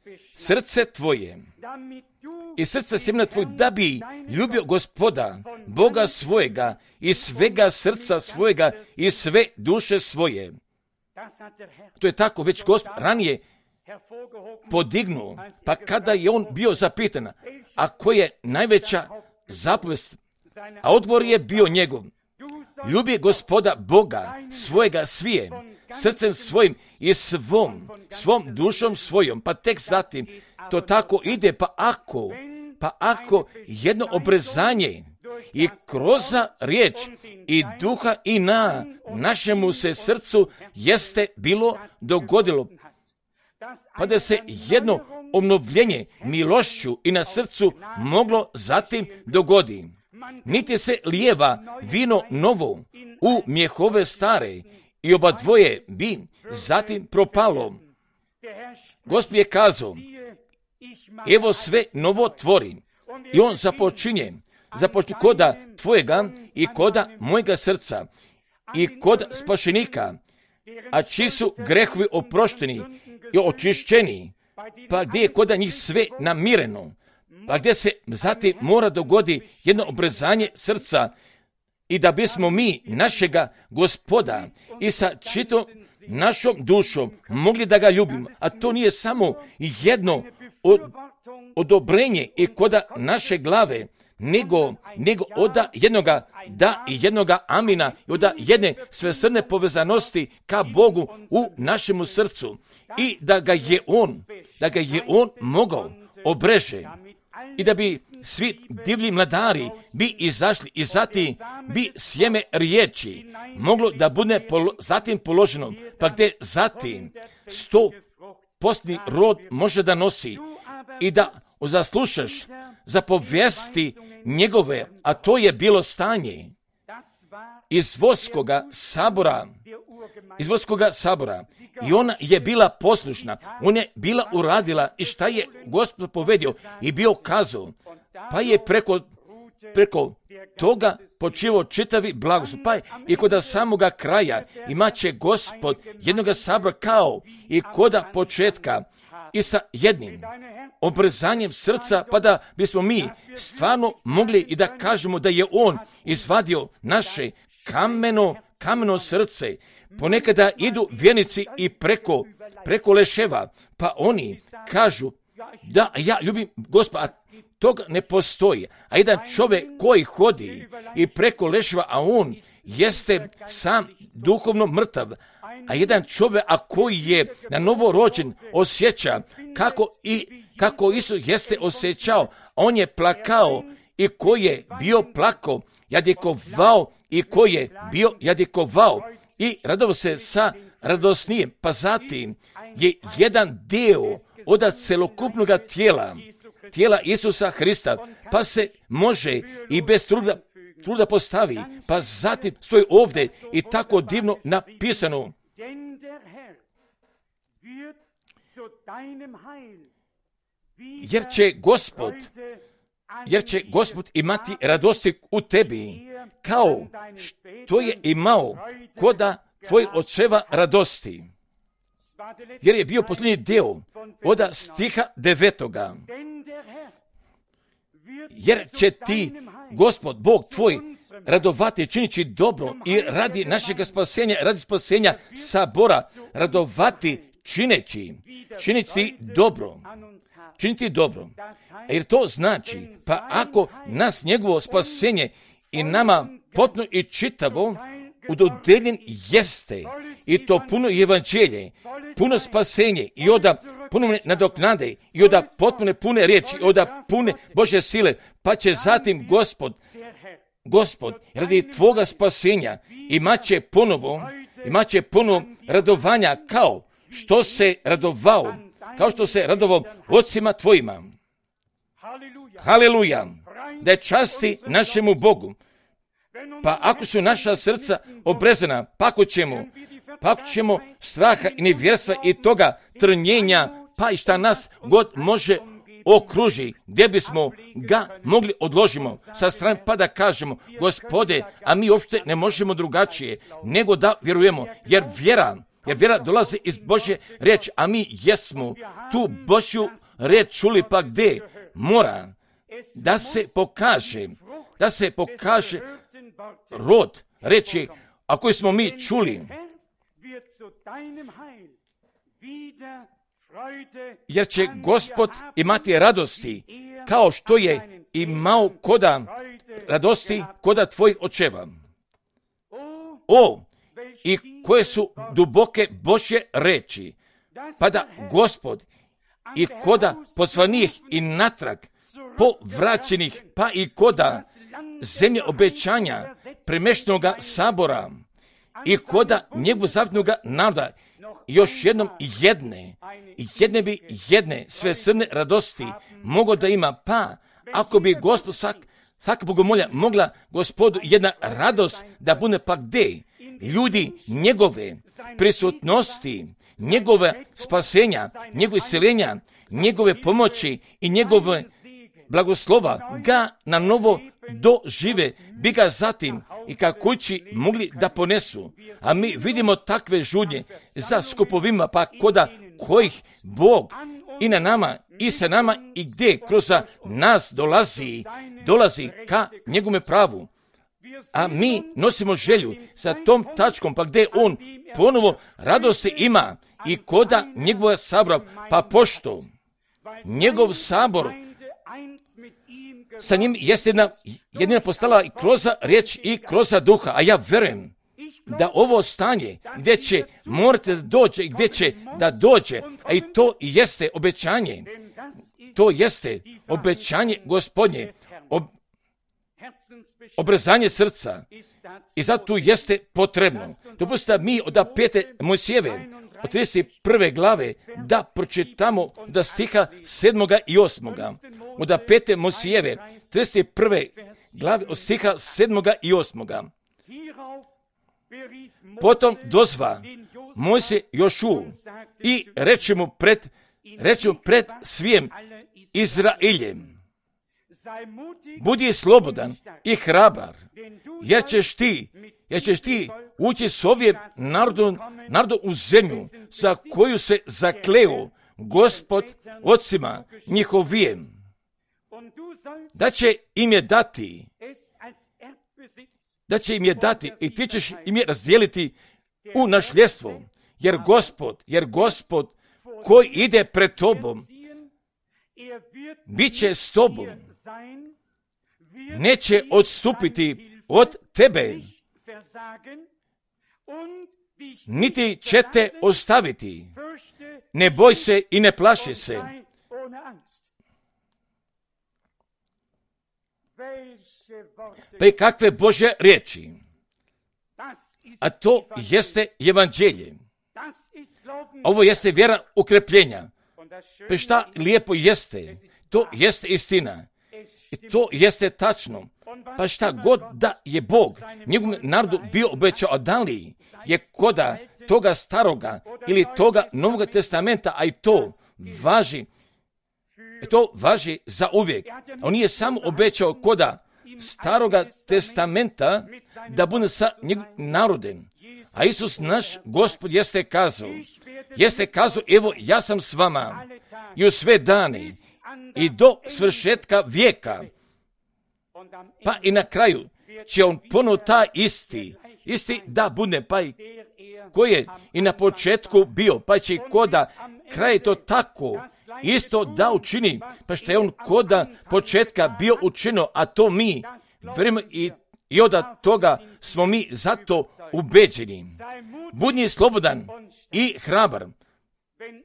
i srce sjemena tvoj, da bi ljubio Gospoda Boga svojega i svega srca svojega i sve duše svoje. To je tako već Gospod ranije podignuo, pa kada je on bio zapitan, a koja je najveća zapovest, a odgovor je bio njegov: ljubi Gospoda Boga svojega svije, srcem svojim i svom dušom svojom. Pa tek zatim to tako ide, pa ako jedno obrezanje i kroz riječ i duha i na našemu se srcu jeste bilo dogodilo, pa da se jedno obnovljenje milošću i na srcu moglo zatim dogodi. Niti se lijeva vino novo u mjehove stare, i oba dvoje bi zatim propalo. Gospod je kazao: evo sve novo tvorim. I on započinje koda tvojega i koda mojega srca i kod spašenika, a čiji su grehovi oprošteni i očišćeni, pa gdje je koda njih sve namireno, pa gdje se zatim mora dogodi jedno obrezanje srca i da bismo mi našega Gospoda i sa čitom našom dušom mogli da ga ljubimo. A to nije samo jedno odobrenje i koda naše glave, nego oda jednoga da i jednoga amina i oda jedne svesrdne povezanosti ka Bogu u našemu srcu i da ga je on mogao obreže i da bi svi divlji mladari bi izašli i zatim bi sjeme riječi moglo da bude zatim položeno, pa gdje zatim 100% rod može da nosi i da zaslušaš za povijesti njegove, a to je bilo stanje iz Vodskoga sabora i ona je bila poslušna, ona je bila uradila i šta je Gospod povedio i bio kazao, pa je preko toga počivo čitavi blagoslov. Pa i kod samoga kraja imaće Gospod jednoga sabora kao i koda početka i sa jednim obrezanjem srca, pa da bismo mi stvarno mogli i da kažemo da je on izvadio naše kameno srce. Ponekada idu vjernici i preko leševa, pa oni kažu da ja ljubim Gospoda, a toga ne postoji. A jedan čovjek koji hodi i preko leševa, a on jeste sam duhovno mrtav, a jedan čovjek, a koji je na novo rođen, osjeća kako Isus jeste osjećao, on je plakao i koji je bio plakao, jadikovao i koji je bio jadikovao i radovao se sa radosnijem, pa zatim je jedan dio od celokupnog tijela Isusa Hrista, pa se može i bez truda postavi, pa zatim stoji ovdje i tako divno napisano. Jer će Gospod imati radosti u tebi, kao što je imao koda tvoj očeva radosti. Jer je bio posljednji deo od stiha 9. Jer će ti Gospod, Bog tvoj, radovati činići dobro i radi našega spasenja, radi spasenja sabora, radovati činiti dobro. Jer to znači, pa ako nas njegovo spasenje i nama potpuno i čitavo udodeljen jeste, i to puno evanđelje, puno spasenje i oda puno nadoknade i oda potpune pune riječi i oda pune Božje sile, pa će zatim Gospod radi tvoga spasenja imaće ponovo radovanja kao što se radovao ocima tvojima. Haleluja, da je časti našemu Bogu. Pa ako su naša srca obrezana, pa ako ćemo straha i nevjerstva i toga trnjenja, pa i šta nas god može okruži, gdje bismo ga mogli odložimo sa strane, pa da kažemo, Gospode, a mi uopšte ne možemo drugačije nego da vjerujemo, jer vjera dolazi iz Božje riječi, a mi jesmo tu Božju riječ čuli, pa gdje mora da se pokaže rod reči, a koji smo mi čuli. Jer će Gospod imati radosti, kao što je imao koda radosti koda tvojih očeva. I koje su duboke Božje reči, pa da Gospod i koda pozvanih i natrag povraćenih, pa i koda zemlje obećanja premeštenoga sabora i koda njegovog zavjetnoga naroda još jednom jedne svesrdne radosti mogo da ima, pa ako bi Gospod svaka bogomolja mogla Gospodu jedna radost da bude, pa gdje ljudi njegove prisutnosti, njegove spasenja, njegove iseljenja, njegove pomoći i njegove blagoslova ga na novo dožive, bi ga zatim i ka kući mogli da ponesu. A mi vidimo takve žudnje za skupovima, pa koda kojih Bog i na nama i sa nama i gdje kroz nas dolazi ka njegome pravu. A mi nosimo želju sa tom tačkom, pa gdje on ponovo radosti ima i koda njegova sabora, pa pošto njegov sabor sa njim jeste jedina postala i kroz riječ i kroz duha, a ja verujem da ovo stanje gdje će morate da dođe i gdje će da dođe, a i to jeste obećanje, to jeste obećanje Gospodnje, obrezanje srca i zato jeste potrebno. Dopustite mi od 5. Mojsijeve, od 31. glave, da pročitamo da stiha 7. i 8. Od 5. Mojsijeve, 31. glave, od stiha 7. i 8. Potom dozva Mojsije Jošu i reče mu pred svim Izraeljem: budi slobodan i hrabar, jer ćeš ti ući s ovim narodom u zemlju za koju se zakleo Gospod ocima njihovijem, da će im je dati i ti ćeš im je razdijeliti u nasljedstvo, jer Gospod koji ide pred tobom bit će s tobom, neće odstupiti od tebe, niti će te ostaviti. Ne boj se i ne plaši se. Pa i kakve Božje riječi, a to jeste evanđelje. Ovo jeste vjera ukrepljenja. Pa šta lijepo jeste, to jeste istina. I to jeste tačno. Pa šta god da je Bog njegovom narodu bio obećao, da li je koda toga staroga ili toga Novoga testamenta, a i to važi za uvijek. On nije samo obećao koda staroga testamenta da bude sa njegovim narodem. A Isus naš Gospod jeste kazao, evo ja sam s vama i u sve dane i do svršetka vijeka. Pa i na kraju će on ponovo ta isti da bude, pa i koji je i na početku bio, pa će i koda kraj to tako isto da učini, pa što je on koda početka bio učinio, a to mi vjerujemo i od toga smo mi zato ubeđeni. Budi slobodan i hrabar.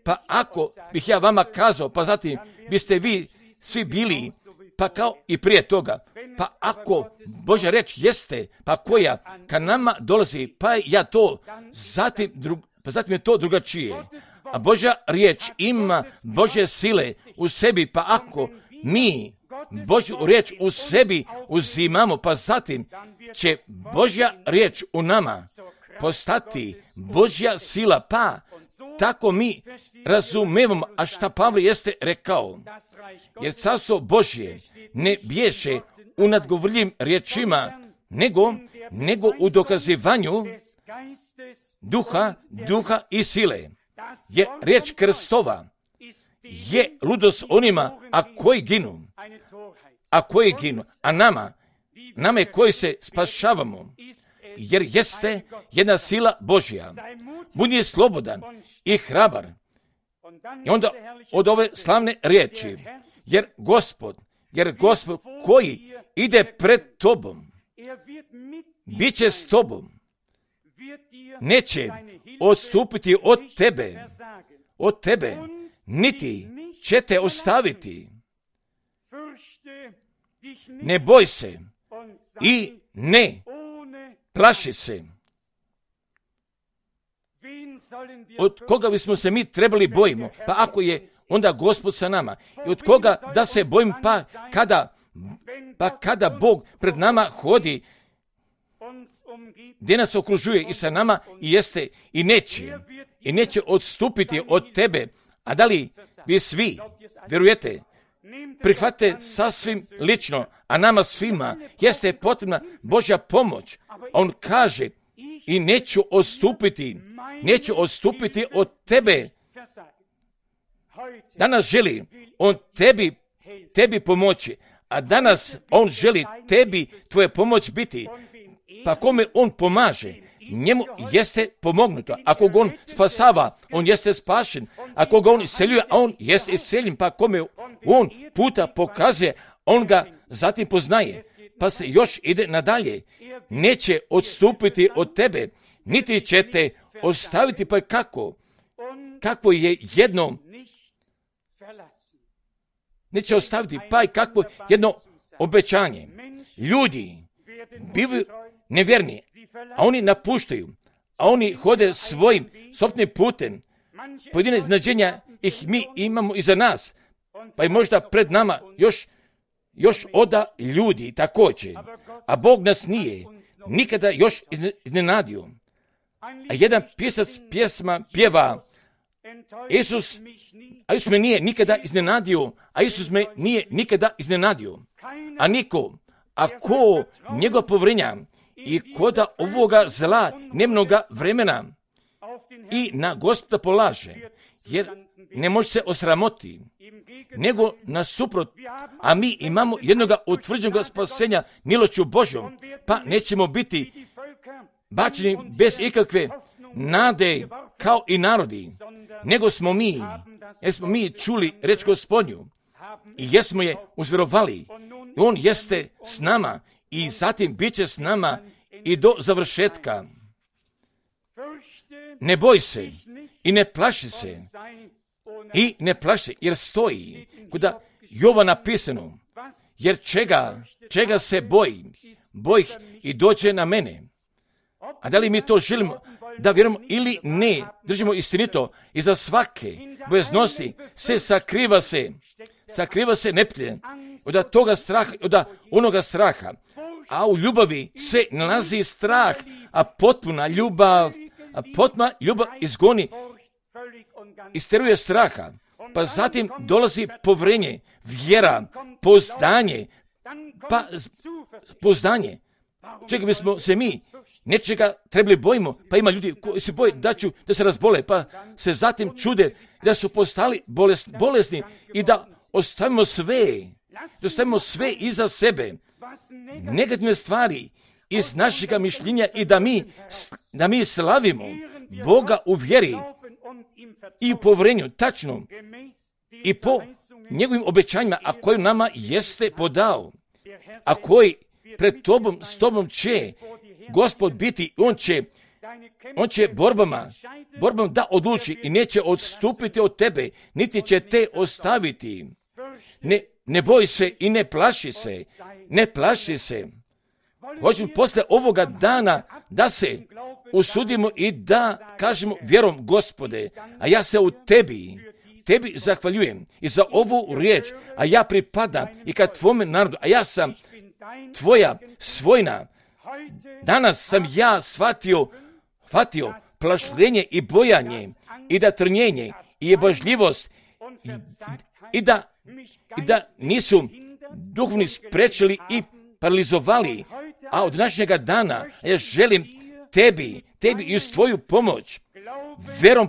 Pa ako bih ja vama kazao, pa zatim biste vi svi bili, pa kao i prije toga, pa ako Božja reč jeste, pa koja ka nama dolazi, pa ja to, zatim je to drugačije. A Božja riječ ima Božje sile u sebi, pa ako mi Božju riječ u sebi uzimamo, pa zatim će Božja riječ u nama postati Božja sila, pa tako mi razumijemo, a šta Pavle jeste rekao, jer carstvo Božje ne bježe u nadgovorljivim riječima, nego u dokazivanju duha i sile. Je riječ Krstova je ludost onima, a koji ginu, a nama je koji se spašavamo, jer jeste jedna sila Božja. Budi slobodan i hrabar. I onda od ove slavne riječi, jer Gospod koji ide pred tobom, bit će s tobom, neće odstupiti od tebe, niti će te ostaviti. Ne boj se i ne plaši se. Od koga bismo se mi trebali bojimo? Pa ako je onda Gospod sa nama. I od koga da se bojim, pa kada Bog pred nama hodi, gdje nas okružuje i sa nama i jeste i neće odstupiti od tebe. A da li vi svi vjerujete? Prihvatite sasvim lično, a nama svima jeste potrebna Božja pomoć. On kaže, i neću odstupiti od tebe. Danas želi on tebi pomoći, a danas on želi tebi tvoje pomoć biti. Pa kome on pomaže, njemu jeste pomognuto. Ako ga on spasava, on jeste spašen. Ako ga on isceljuje, a on jeste isceljen. Pa kome on puta pokazuje, on ga zatim poznaje. Pa se još ide nadalje. Neće odstupiti od tebe, niti će te ostaviti. Pa kako je jedno, neće ostaviti, pa i kakvo jedno obećanje. Ljudi bivaju nevjerni, a oni napuštaju, a oni hode svojim sopstvenim putem. Pojedine iznadženja ih mi imamo iza nas, pa i možda pred nama još oda ljudi također, a Bog nas nije nikada još iznenadio. A jedan pisac pjesma pjeva: Isus me nije nikada iznenadio, a Isus me nije nikada iznenadio. A niko, ako njegova povrenja i koda ovoga zla nemnoga vremena i na Gospoda polaže, jer ne može se osramoti, nego nasuprot, a mi imamo jednoga utvrđenog spasenja milošću Božjom, pa nećemo biti bačeni bez ikakve nade kao i narodi, nego smo mi čuli reč Gospodnju i jesmo je uzvjerovali. I on jeste s nama i zatim bit će s nama i do završetka. Ne boj se i ne plaši se. I ne plaši, jer stoji kuda Jova napisano, jer čega se bojih i dođe na mene. A da li mi to želimo da vjerujemo ili ne, držimo istinito, iza svake bojaznosti se sakriva se neprijatelj, od toga straha, od onoga straha, a u ljubavi se nalazi strah, a potpuna ljubav izgoni, isteruje straha, pa zatim dolazi povrenje, vjera, poznanje. Čega bismo se mi nečega trebali bojimo, pa ima ljudi koji se boje da se razbole, pa se zatim čude da su postali bolesni i da ostavimo sve iza sebe, negativne stvari iz našega mišljenja i da mi slavimo Boga u vjeri i u povjerenju, tačno, i po njegovim obećanjima, a koji nama jeste podao, a koji pred tobom, s tobom će Gospod biti, on će borbama da odluči i neće odstupiti od tebe, niti će te ostaviti. Ne boj se i ne plaši se. Hoćemo posle ovoga dana da se usudimo i da kažemo vjerom: Gospode, a ja se u tebi zahvaljujem i za ovu riječ, a ja pripadam i ka tvome narodu, a ja sam tvoja svojina. Danas sam ja shvatio plašljenje i bojanje i da trnjenje i jebažljivost i da nisu duhovni sprečili i paralizovali, a od današnjega dana ja želim tebi i uz tvoju pomoć, vjerom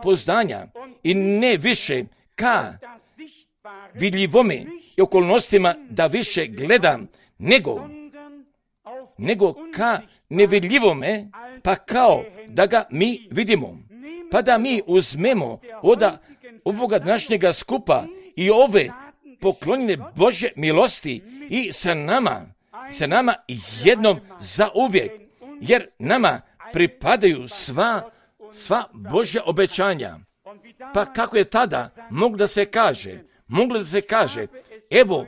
pouzdanja i ne više ka vidljivome i okolnostima da više gledam, nego ka nevidljivome, pa kao da ga mi vidimo, pa da mi uzmemo od ovoga današnjega skupa i ove poklonjene Božje milosti i sa nama jednom za uvijek, jer nama pripadaju sva Božja obećanja. Pa kako je tada moglo da se kaže, evo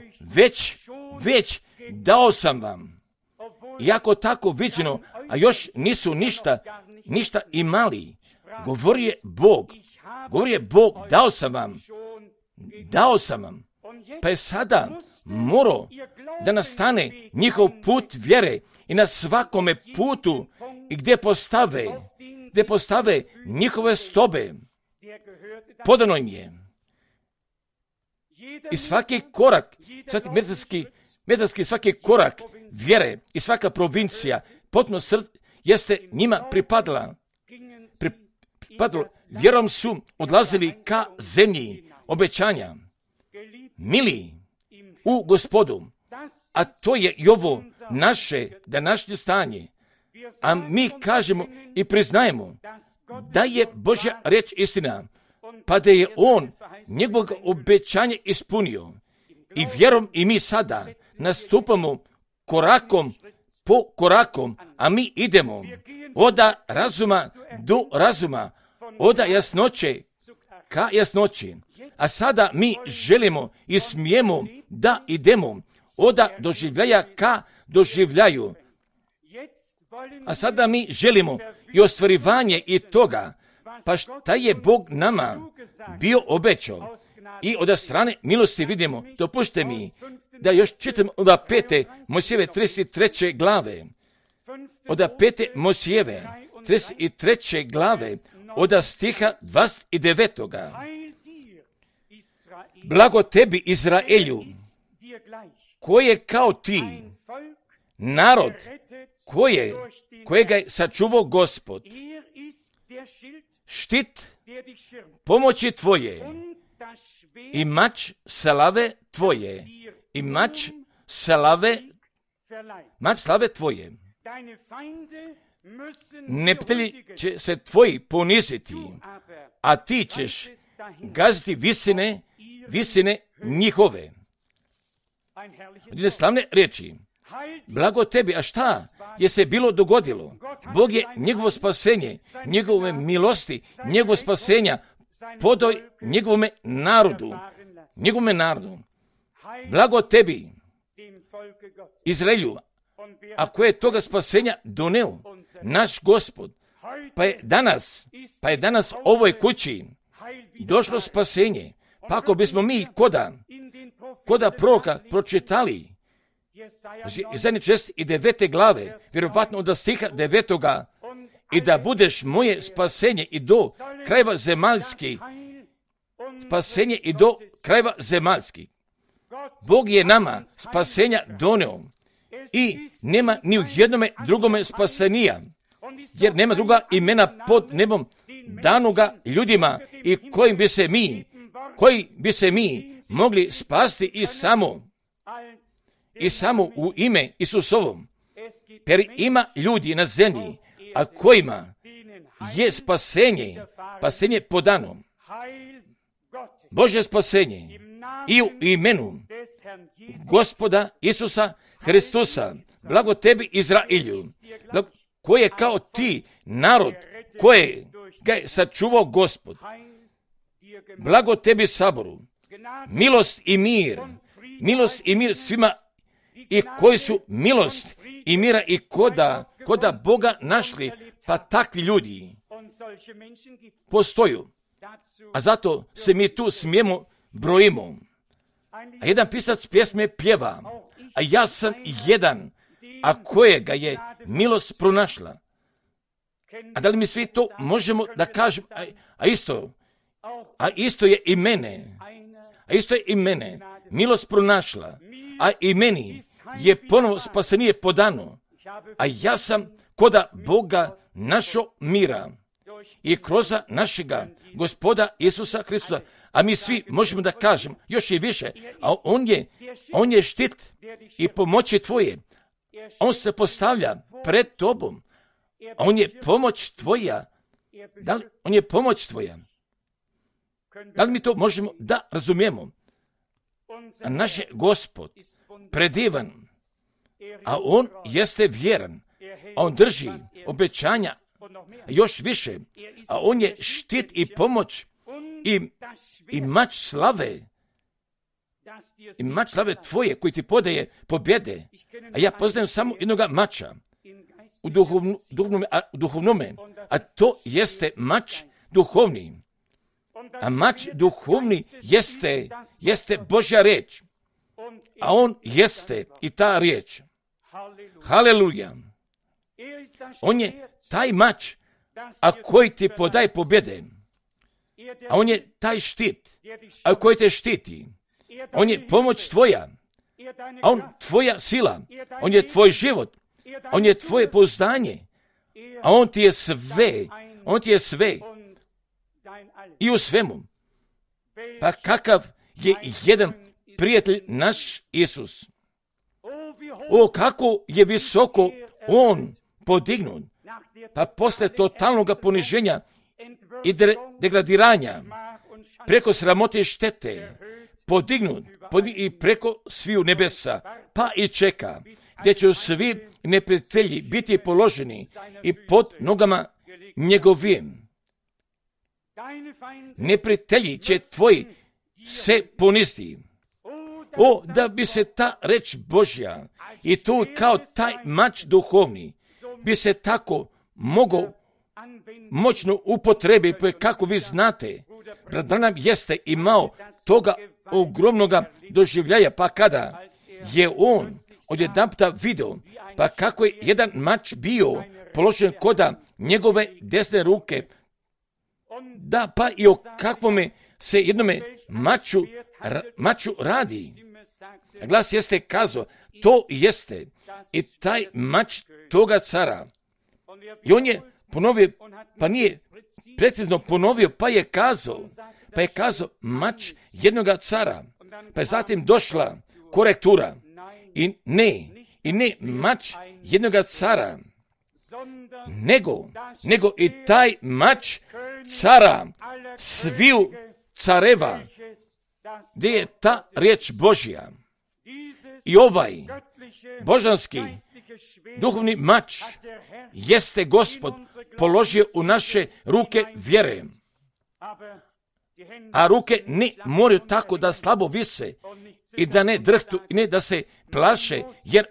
već dao sam vam, iako tako viđeno, a još nisu ništa imali. Govori je Bog, dao sam vam. Pa je sada morao da nastane njihov put vjere i na svakome putu i gdje postave njihove stobe. Podano im je. I svaki korak, svaki korak vjere i svaka provincija, potpuno jeste njima pripadala. vjerom su odlazili ka zemlji obećanja. Mili u Gospodu, a to je i ovo naše današnje stanje. A mi kažemo i priznajemo da je Božja riječ istina, pa da je On njegovog obećanja ispunio. I vjerom i mi sada nastupamo korakom po korakom, a mi idemo od razuma do razuma, od jasnoće ka jasnoći. A sada mi želimo i smijemo da idemo od doživljaja ka doživljaju. A sada mi želimo i ostvarivanje i toga, pa šta je Bog nama bio obećao. I od strane milosti vidimo, dopušte mi da još čitam od 5. Mojsijeve 33. glave. Od 5. Mojsijeve 33. glave, od stiha 29. Blago tebi, Izraelju, koji je kao ti, narod kojega je sačuvao Gospod, štit pomoći tvoje i mač slave tvoje, i mač slave tvoje. Neprijatelji će se tvoji poniziti, a ti ćeš gaziti visine njihove. Jedne slavne riječi. Blago tebi, a šta je se bilo dogodilo? Bog je njegovo spasenje, njegove milosti, njegovo spasenja podao njegovome narodu. Blago tebi, Izraelju, a koje je toga spasenja doneo naš Gospod. Pa je danas ovoj kući došlo spasenje. Pa ako bismo mi koda proroka pročitali Izaja 69. glave, vjerovatno od stiha 9. i da budeš moje spasenje i do krajeva zemaljskih, spasenje i do krajeva zemaljskih. Bog je nama spasenja doneo i nema ni u jednome drugome spasenija, jer nema druga imena pod nebom danoga ljudima i koji bi se mi mogli spasti i samo u ime Isusovom. Jer ima ljudi na zemlji, a kojima je spasenje podano. Božje spasenje i u imenu Gospoda Isusa Hristusa. Blago tebi, Izraelju, koji je kao ti, narod koje ga je sačuvao Gospod. Blago tebi, Saboru, milost i mir svima i koji su milost i mira i koda Boga našli, pa takvi ljudi postoju. A zato se mi tu smijemo brojimo. A jedan pisac pjesme pjeva, a ja sam jedan, a kojega je milost pronašla. A da li mi svi to možemo da kažemo, a isto je i mene milost pronašla, a i meni je ponovo spasenije podano, a ja sam koda Boga našo mira i kroz našega Gospoda Isusa Hristusa, a mi svi možemo da kažemo još i više, a on je štit i pomoći tvoje, on se postavlja pred tobom, a on je pomoć tvoja. On je pomoć tvoja. Da li mi to možemo da razumijemo? A naš je Gospod predivan, a on jeste vjeran, a on drži obećanja još više, a on je štit i pomoć i mač slave tvoje koji ti podaje pobjede. A ja poznajem samo jednoga mača u duhovnome, a to jeste mač duhovni. A mač duhovni jeste Božja riječ, a on jeste i ta riječ. Haleluja. On je taj mač, a koji ti podaje pobjede. A on je taj štit, a koji te štiti. On je pomoć tvoja, a on tvoja sila. On je tvoj život, on je tvoje pouzdanje, a on ti je sve. i u svemu. Pa kakav je jedan prijatelj naš Isus. O, kako je visoko on podignut. Pa posle totalnog poniženja i degradiranja, preko sramote i štete, podignut i preko sviju nebesa, pa i čeka, gdje će svi neprijatelji biti položeni i pod nogama njegovim. Neprijatelji će tvoji se poniziti. O, da bi se ta reč Božja i tu kao taj mač duhovni bi se tako mogao moćno upotrebi, kako vi znate, brat Branham jeste imao toga ogromnoga doživljaja, pa kada je on odjedanputa video, pa kako je jedan mač bio položen koda njegove desne ruke, da pa i o kakvome se jednome maču radi. Glas jeste kazao, to jeste i taj mač toga cara. I on je ponovio, pa nije precizno ponovio, pa je kazao mač jednoga cara. Pa je zatim došla korektura i ne mač jednoga cara, nego i taj mač cara sviju careva, gdje je ta riječ Božja. I ovaj božanski duhovni mač jeste Gospod položio u naše ruke vjere. A ruke ne moraju tako da slabo vise i da ne drhtu i ne da se plaše, jer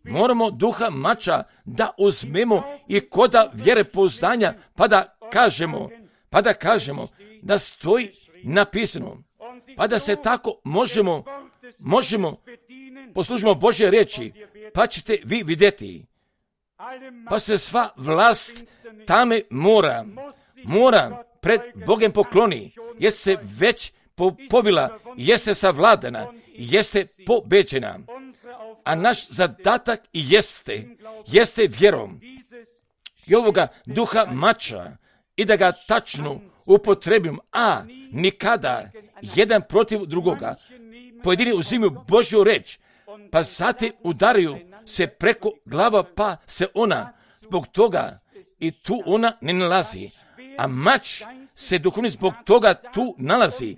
moramo duha mača da uzmemo i koda vjere pouzdanja, pa da kažemo da stoji napisano, pa da se tako možemo poslužimo Božje riječi, pa ćete vi vidjeti. Pa se sva vlast tame mora pred Bogem pokloni, jeste se već povila, jeste savladana, jeste pobeđena. A naš zadatak jeste vjerom i ovoga duha mača i da ga tačno upotrebimo, a nikada jedan protiv drugoga. Pojedini uzimaju Božju reč, pa zatim udaraju se preko glava, pa se ona zbog toga i tu ona ne nalazi. A mač se duhovni zbog toga tu nalazi,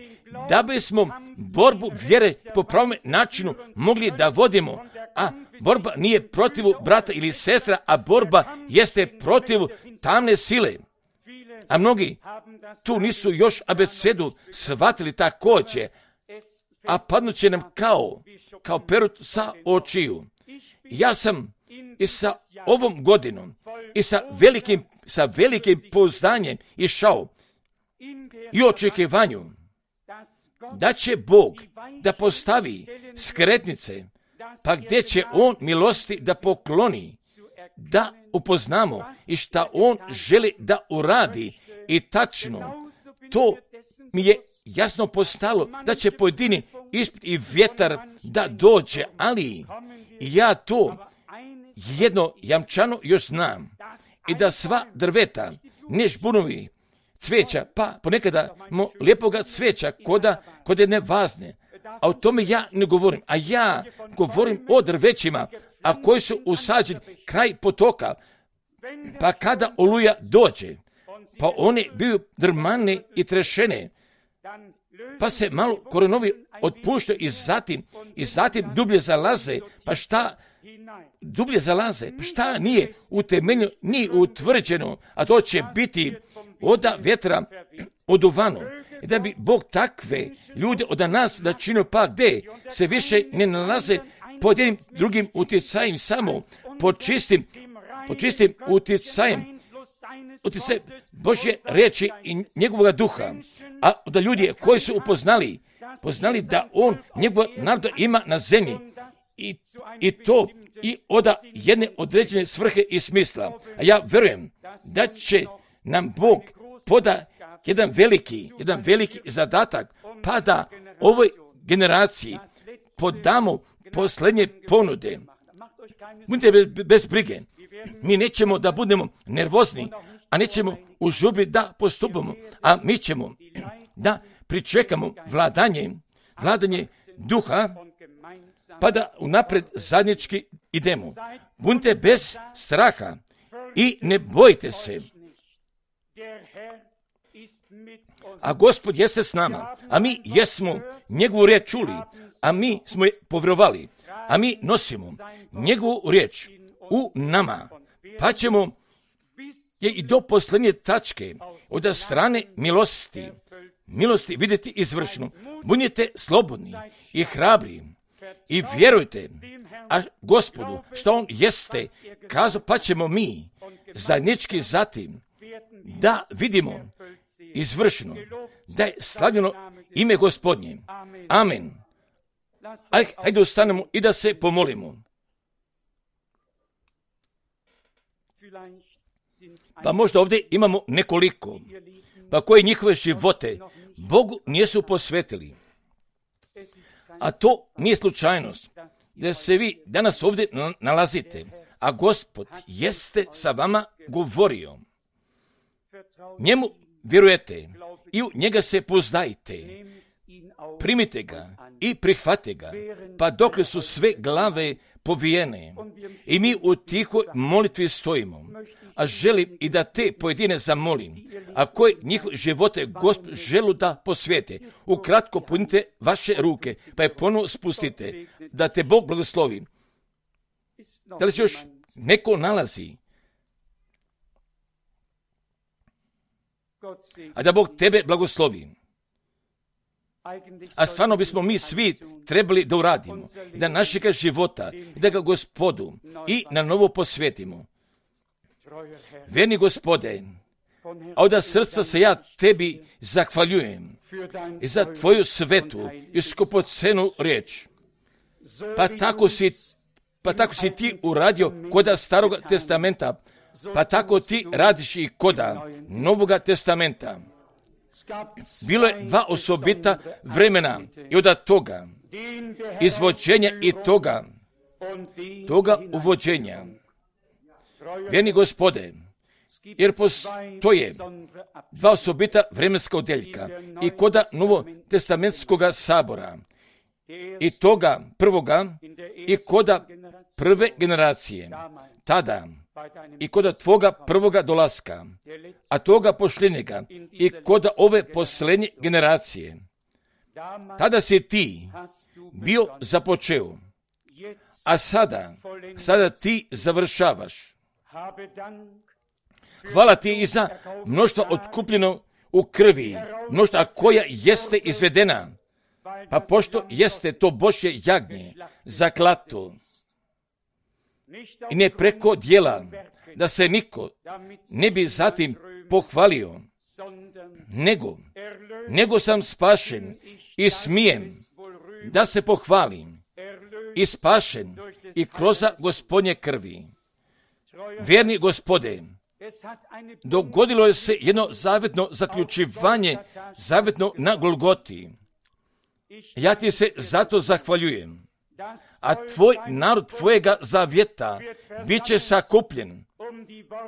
da bismo borbu vjere po pravom načinu mogli da vodimo. A borba nije protiv brata ili sestra, a borba jeste protiv tamne sile. A mnogi tu nisu još abecedu shvatili također, a padnut će nam kao perut sa očiju. Ja sam i sa ovom godinom i sa velikim pouzdanjem išao i očekivanju da će Bog da postavi skretnice, pa gdje će On milosti da pokloni, da upoznamo i šta On želi da uradi. I tačno, to mi je jasno postalo da će pojedini ispit i vjetar da dođe, ali ja to jedno jamčano još znam, i da sva drveta, ne žbunovi, cveća, pa ponekada lijepoga cveća kod jedne vazne, a o tome ja ne govorim, a ja govorim o drvećima, a koji su usađeni kraj potoka, pa kada oluja dođe, pa one biju drmane i trešene, pa se malo korenovi otpuštaju i zatim dublje zalaze, pa šta dublje zalaze, pa šta nije utemeljeno, nije utvrđeno, a to će biti oda vjetra oduvano. I da bi Bog takve ljude od nas načinio, pa gdje se više ne nalaze pod jednim drugim utjecajem, samo pod čistim utjecajem Božje riječi i njegovog duha, a da ljudi koji su poznali da on njegov narod ima na zemlji i to i od jedne određene svrhe i smisla. A ja vjerujem da će nam Bog poda jedan veliki zadatak, pa da ovoj generaciji podamo posljednje ponude. Budite bez brige, mi nećemo da budemo nervozni, a nećemo u žurbi da postupamo, a mi ćemo da pričekamo vladanje duha, pa da unapred zajednički idemo. Budite bez straha i ne bojte se. A Gospod jeste s nama, a mi jesmo njegovu riječ čuli, a mi smo je povjerovali, a mi nosimo njegovu riječ u nama, pa ćemo je i do posljednje tačke od strane milosti vidjeti izvršno. Budite slobodni i hrabri i vjerujte, a Gospodu što on jeste kazao, pa ćemo mi zajednički zatim da vidimo izvršeno da je slavljeno ime Gospodnje. Amen. Hajde ustanemo i da se pomolimo. Pa možda ovdje imamo nekoliko, pa koji njihove živote Bogu nisu posvetili. A to nije slučajnost, da se vi danas ovdje nalazite, a Gospod jeste sa vama govorio. Njemu vjerujete i u njega se pozdajte. Primite ga i prihvate ga, pa dokle su sve glave povijene i mi u tihoj molitvi stojimo. A želim i da te pojedine zamolim, a koji njihove živote Gospod želu da posvijete. Ukratko punite vaše ruke, pa je ponovo spustite, da te Bog blagoslovi. Da li se još neko nalazi? A da Bog tebe blagoslovi. A stvarno bismo mi svi trebali da uradimo, da našega života, da ga Gospodu i na novo posvetimo. Vjerni Gospode, a od srca se ja tebi zahvaljujem i za tvoju svetu i skupocenu riječ. Pa tako si ti uradio koda Starog testamenta, pa tako ti radiš i koda Novoga testamenta. Bilo je dva osobita vremena i od toga izvođenja i toga uvođenja. Vjerni Gospode, jer postoje dva osobita vremenska odjeljka i koda Novotestamentskoga sabora i toga prvoga i koda prve generacije, tada i koda tvoga prvoga dolaska, a toga pošljenjega i koda ove posljednje generacije. Tada si ti bio započeo, a sada ti završavaš. Hvala ti i za mnoštvo otkupljeno u krvi, mnoštva koja jeste izvedena, pa pošto jeste to Božje jagnje zaklato i ne preko djela, da se niko ne bi zatim pohvalio, nego sam spašen i smijem da se pohvalim i spašen i kroz Gospodnje krvi. Vjerni Gospode, dogodilo je se jedno zavetno zaključivanje, zavetno na Golgoti. Ja ti se zato zahvaljujem, a tvoj narod tvojega zavjeta bit će sakupljen,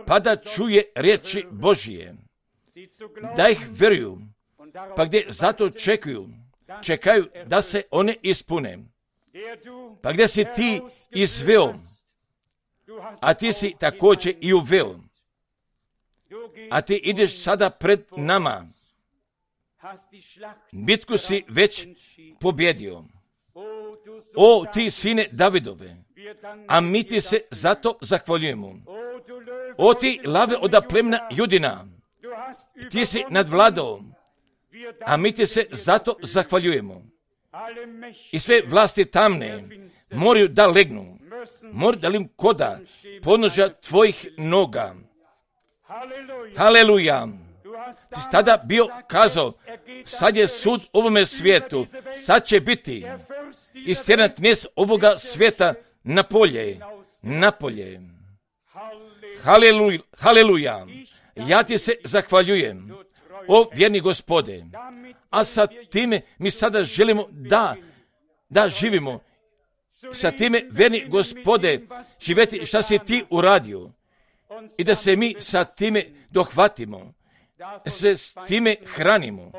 pa da čuje riječi Božije, da ih vjeruju, pa gdje zato čekaju da se one ispune. Pa gdje si ti izveo, a ti si također i uveo, a ti ideš sada pred nama. Bitku si već pobjedio. O, ti sine Davidove, a mi ti se zato zahvaljujemo. O, ti lave od plemena Judina, ti si nadvladao, a mi ti se zato zahvaljujemo. I sve vlasti tamne moraju da legnu, moraju da lim koda podnožja tvojih noga. Haleluja! Ti si tada bio kazao, sad je sud ovome svijetu, sad će biti istjeran knez ovoga svijeta na polje. Haleluja! Ja ti se zahvaljujem, o vjerni Gospode, a sa time mi sada želimo da živimo. Sa time, vjerni Gospode, živjeti šta si ti uradio i da se mi sa time dohvatimo, da se s time hranimo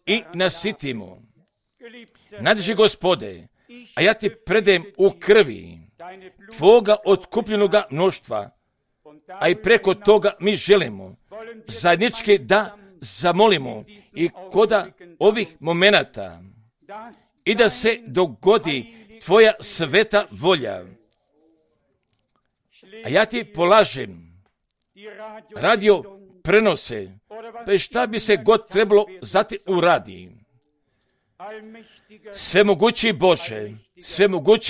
i nasitimo. Nadži Gospode, a ja ti predajem u krvi Tvoga otkupljenoga mnoštva, a i preko toga mi želimo zajednički da zamolimo i koda ovih momenata i da se dogodi Tvoja sveta volja. A ja ti polažem radio prenose, pa šta bi se god trebalo zatim uradi. Svemogući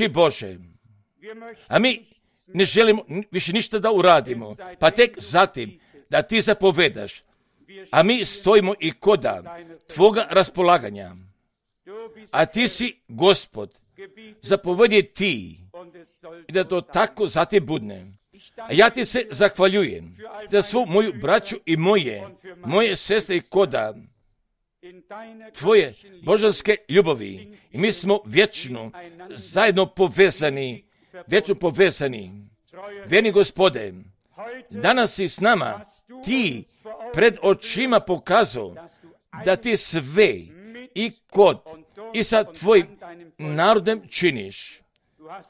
Bože, a mi ne želimo više ništa da uradimo, pa tek zatim da ti zapovedaš, a mi stojimo i koda Tvoga raspolaganja, a ti si Gospod, zapovedi ti i da to tako zatim budne. A ja ti se zahvaljujem za svu moju braću i moje sestre i koda Tvoje božanske ljubavi. I mi smo vječno zajedno povezani. Vjerni Gospode, danas si s nama, ti pred očima pokazao da ti sve i kod i sa Tvojim narodem činiš.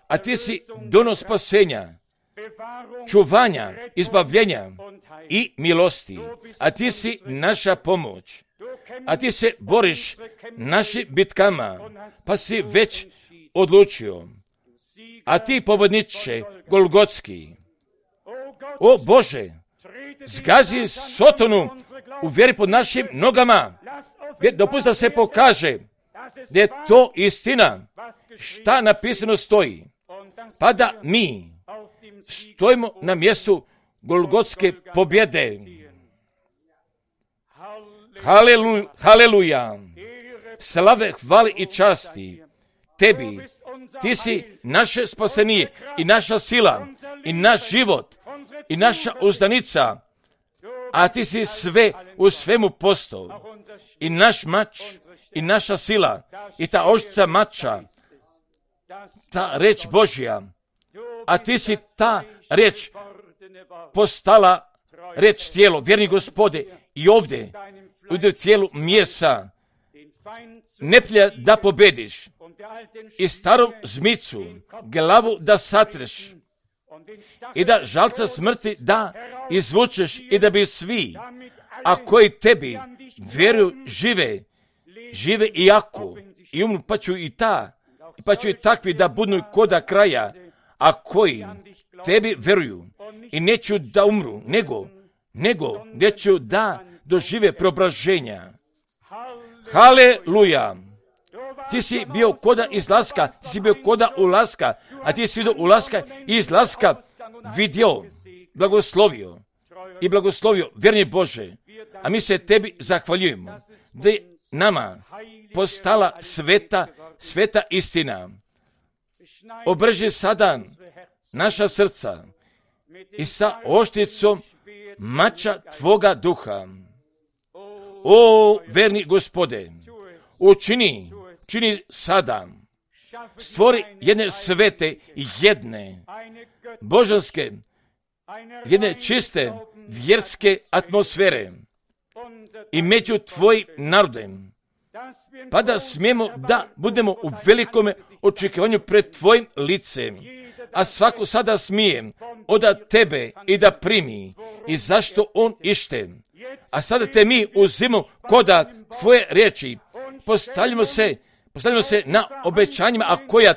A ti si donos spasenja, čuvanja, izbavljenja i milosti. A ti si naša pomoć. A ti se boriš našim bitkama, pa si već odlučio. A ti, pobjedniče Golgotski, o Bože, zgazi Sotonu u vjeri pod našim nogama. Dopusti da se pokaže da je to istina, šta napisano stoji, pa da mi stojimo na mjestu Golgotske pobjede. Haleluja! Slave, hvale i časti Tebi. Ti si naše spasenije i naša sila i naš život i naša uzdanica, a ti si sve u svemu postao. I naš mač i naša sila i ta oštrica mača, ta reč Božja, a ti si ta reč postala reč tijelo. Vjerni Gospode, i ovdje u tijelu mjesa neprijatelja da pobediš i starom zmicu glavu da satreš i da žalca smrti da izvučeš i da bi svi, a koji tebi vjeruju, žive i jako i umru, pa ću i takvi da budu koda kraja, a koji tebi vjeruju i neću da umru, nego neću da dožive preobraženja. Haleluja! Ti si bio koda izlaska, ti si bio koda ulaska, a ti si vidio ulaska i izlaska vidio, blagoslovio, vjerni Bože, a mi se tebi zahvaljujemo, da je nama postala sveta istina. Obrži sada naša srca i sa oštricom mača Tvoga duha. O, verni Gospode, učini sada, stvori jedne svete, jedne božanske, jedne čiste vjerske atmosfere i među Tvojim narodem, pa da smijemo da budemo u velikome očekivanju pred Tvojim licem, a svako sada smije od Tebe i da primi i zašto on ište. A sada te mi uzimo koda Tvoje riječi, postavljamo se na obećanjima, a koja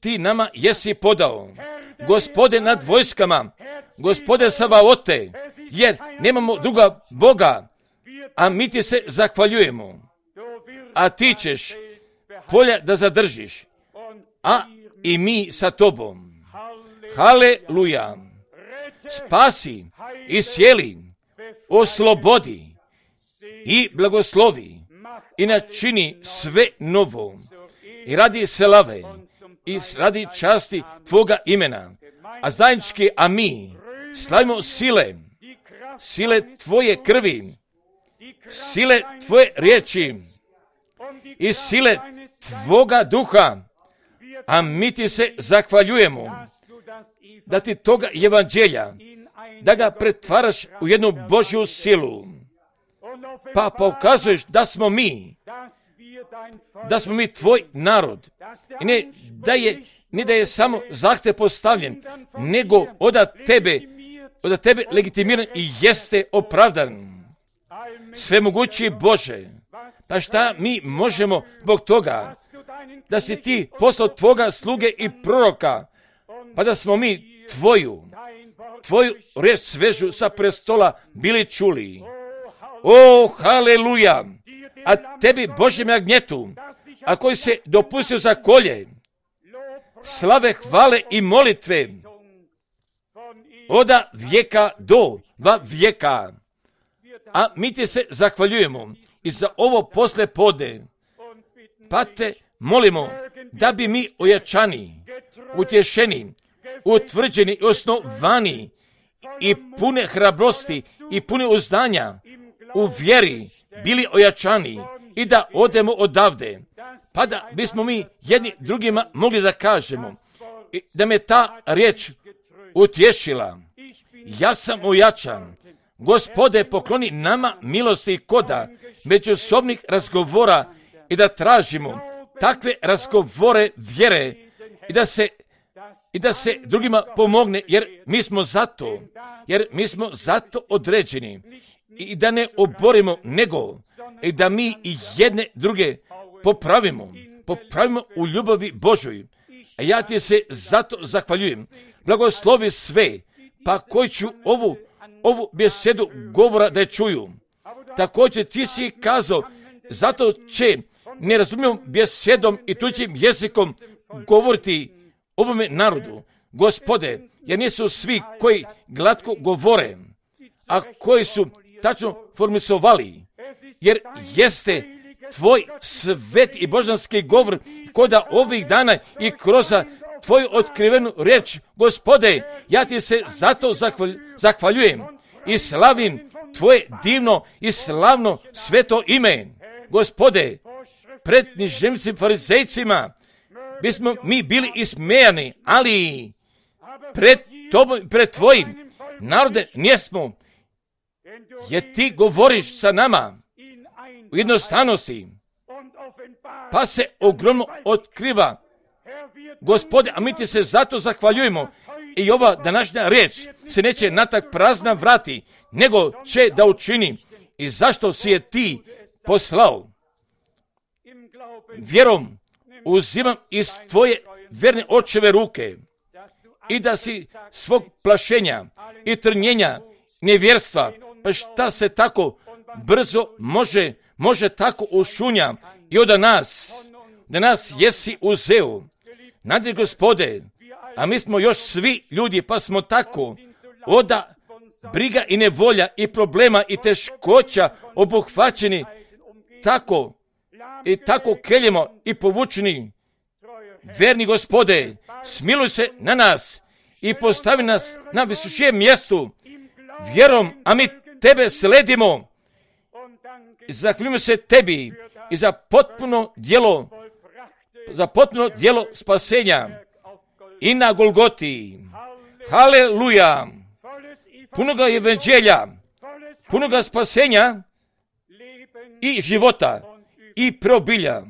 ti nama jesi podao. Gospode nad vojskama, Gospode Savaote, jer nemamo druga Boga, a mi ti se zahvaljujemo. A ti ćeš polja da zadržiš, a i mi sa tobom. Haleluja! Spasi, isjeli, oslobodi i blagoslovi i načini sve novo i radi slave i radi časti Tvoga imena, a zajednički, a mi slavimo sile Tvoje krvi, sile Tvoje riječi i sile Tvoga duha, a mi ti se zahvaljujemo da ti toga evanđelja da ga pretvaraš u jednu Božju silu, pa pokazuješ da smo mi tvoj narod. I ne da je samo zahtev postavljen, nego od tebe legitimiran i jeste opravdan. Svemogući Bože, pa šta mi možemo zbog toga da si ti poslao tvoga sluge i proroka, pa da smo mi tvoju riječ svežu sa prestola bili čuli. O, haleluja! A tebi, Božjem jagnjetu, a koji se dopustio za kolje, slave, hvale i molitve oda vijeka do vijeka. A mi ti se zahvaljujemo i za ovo posle podne, pa te molimo da bi mi ojačani, utješeni, utvrđeni i osnovani i pune hrabrosti i pune uzdanja u vjeri bili ojačani i da odemo odavde, pa da bismo mi jedni drugima mogli da kažemo i da me ta riječ utješila. Ja sam ojačan. Gospode, pokloni nama milosti i koda međusobnih razgovora i da tražimo takve razgovore vjere i da se drugima pomogne, jer mi smo zato određeni i da ne oborimo, nego i da mi i jedne druge popravimo u ljubavi Božoj. A ja ti se zato zahvaljujem. Blagoslovi sve, pa koji ću ovu besedu govora da je čuju. Također ti si kazao, zato će nerazumljivom besedom i tuđim jezikom govoriti ovome narodu. Gospode, jer nisu svi koji glatko govore, a koji su tačno formisovali, jer jeste tvoj svet i božanski govor koda ovih dana i kroz tvoju otkrivenu riječ. Gospode, ja ti se zato zahvaljujem i slavim tvoje divno i slavno sveto ime. Gospode, pred književnicima farizejcima bismo mi bili ismejani, ali pred tobom, pred tvojim narode njesmo, jer ti govoriš sa nama u jednostavnosti, pa se ogromno otkriva. Gospode, a mi ti se zato zahvaljujemo i ova današnja riječ se neće natak prazna vrati, nego će da učini. I zašto si je ti poslao? Vjerom uzimam iz tvoje verne očeve ruke i da si svog plašenja i trnjenja, nevjerstva, pa šta se tako brzo može tako ušunja i od nas jesi uzeo. Nadje, Gospode, a mi smo još svi ljudi, pa smo tako oda briga i nevolja i problema i teškoća obuhvaćeni tako keljemo i povučeni. Verni Gospode, smiluj se na nas i postavi nas na visočijem mjestu vjerom, a mi tebe sledimo. Zahvaljujemo se tebi i za potpuno djelo spasenja i na Golgoti. Haleluja! Punoga evanđelja, punoga spasenja i života i preobilja.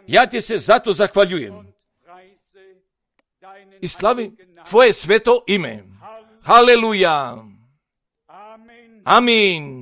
Ja ti se zato zahvaljujem i slavim tvoje sveto ime. Haleluja! Amin.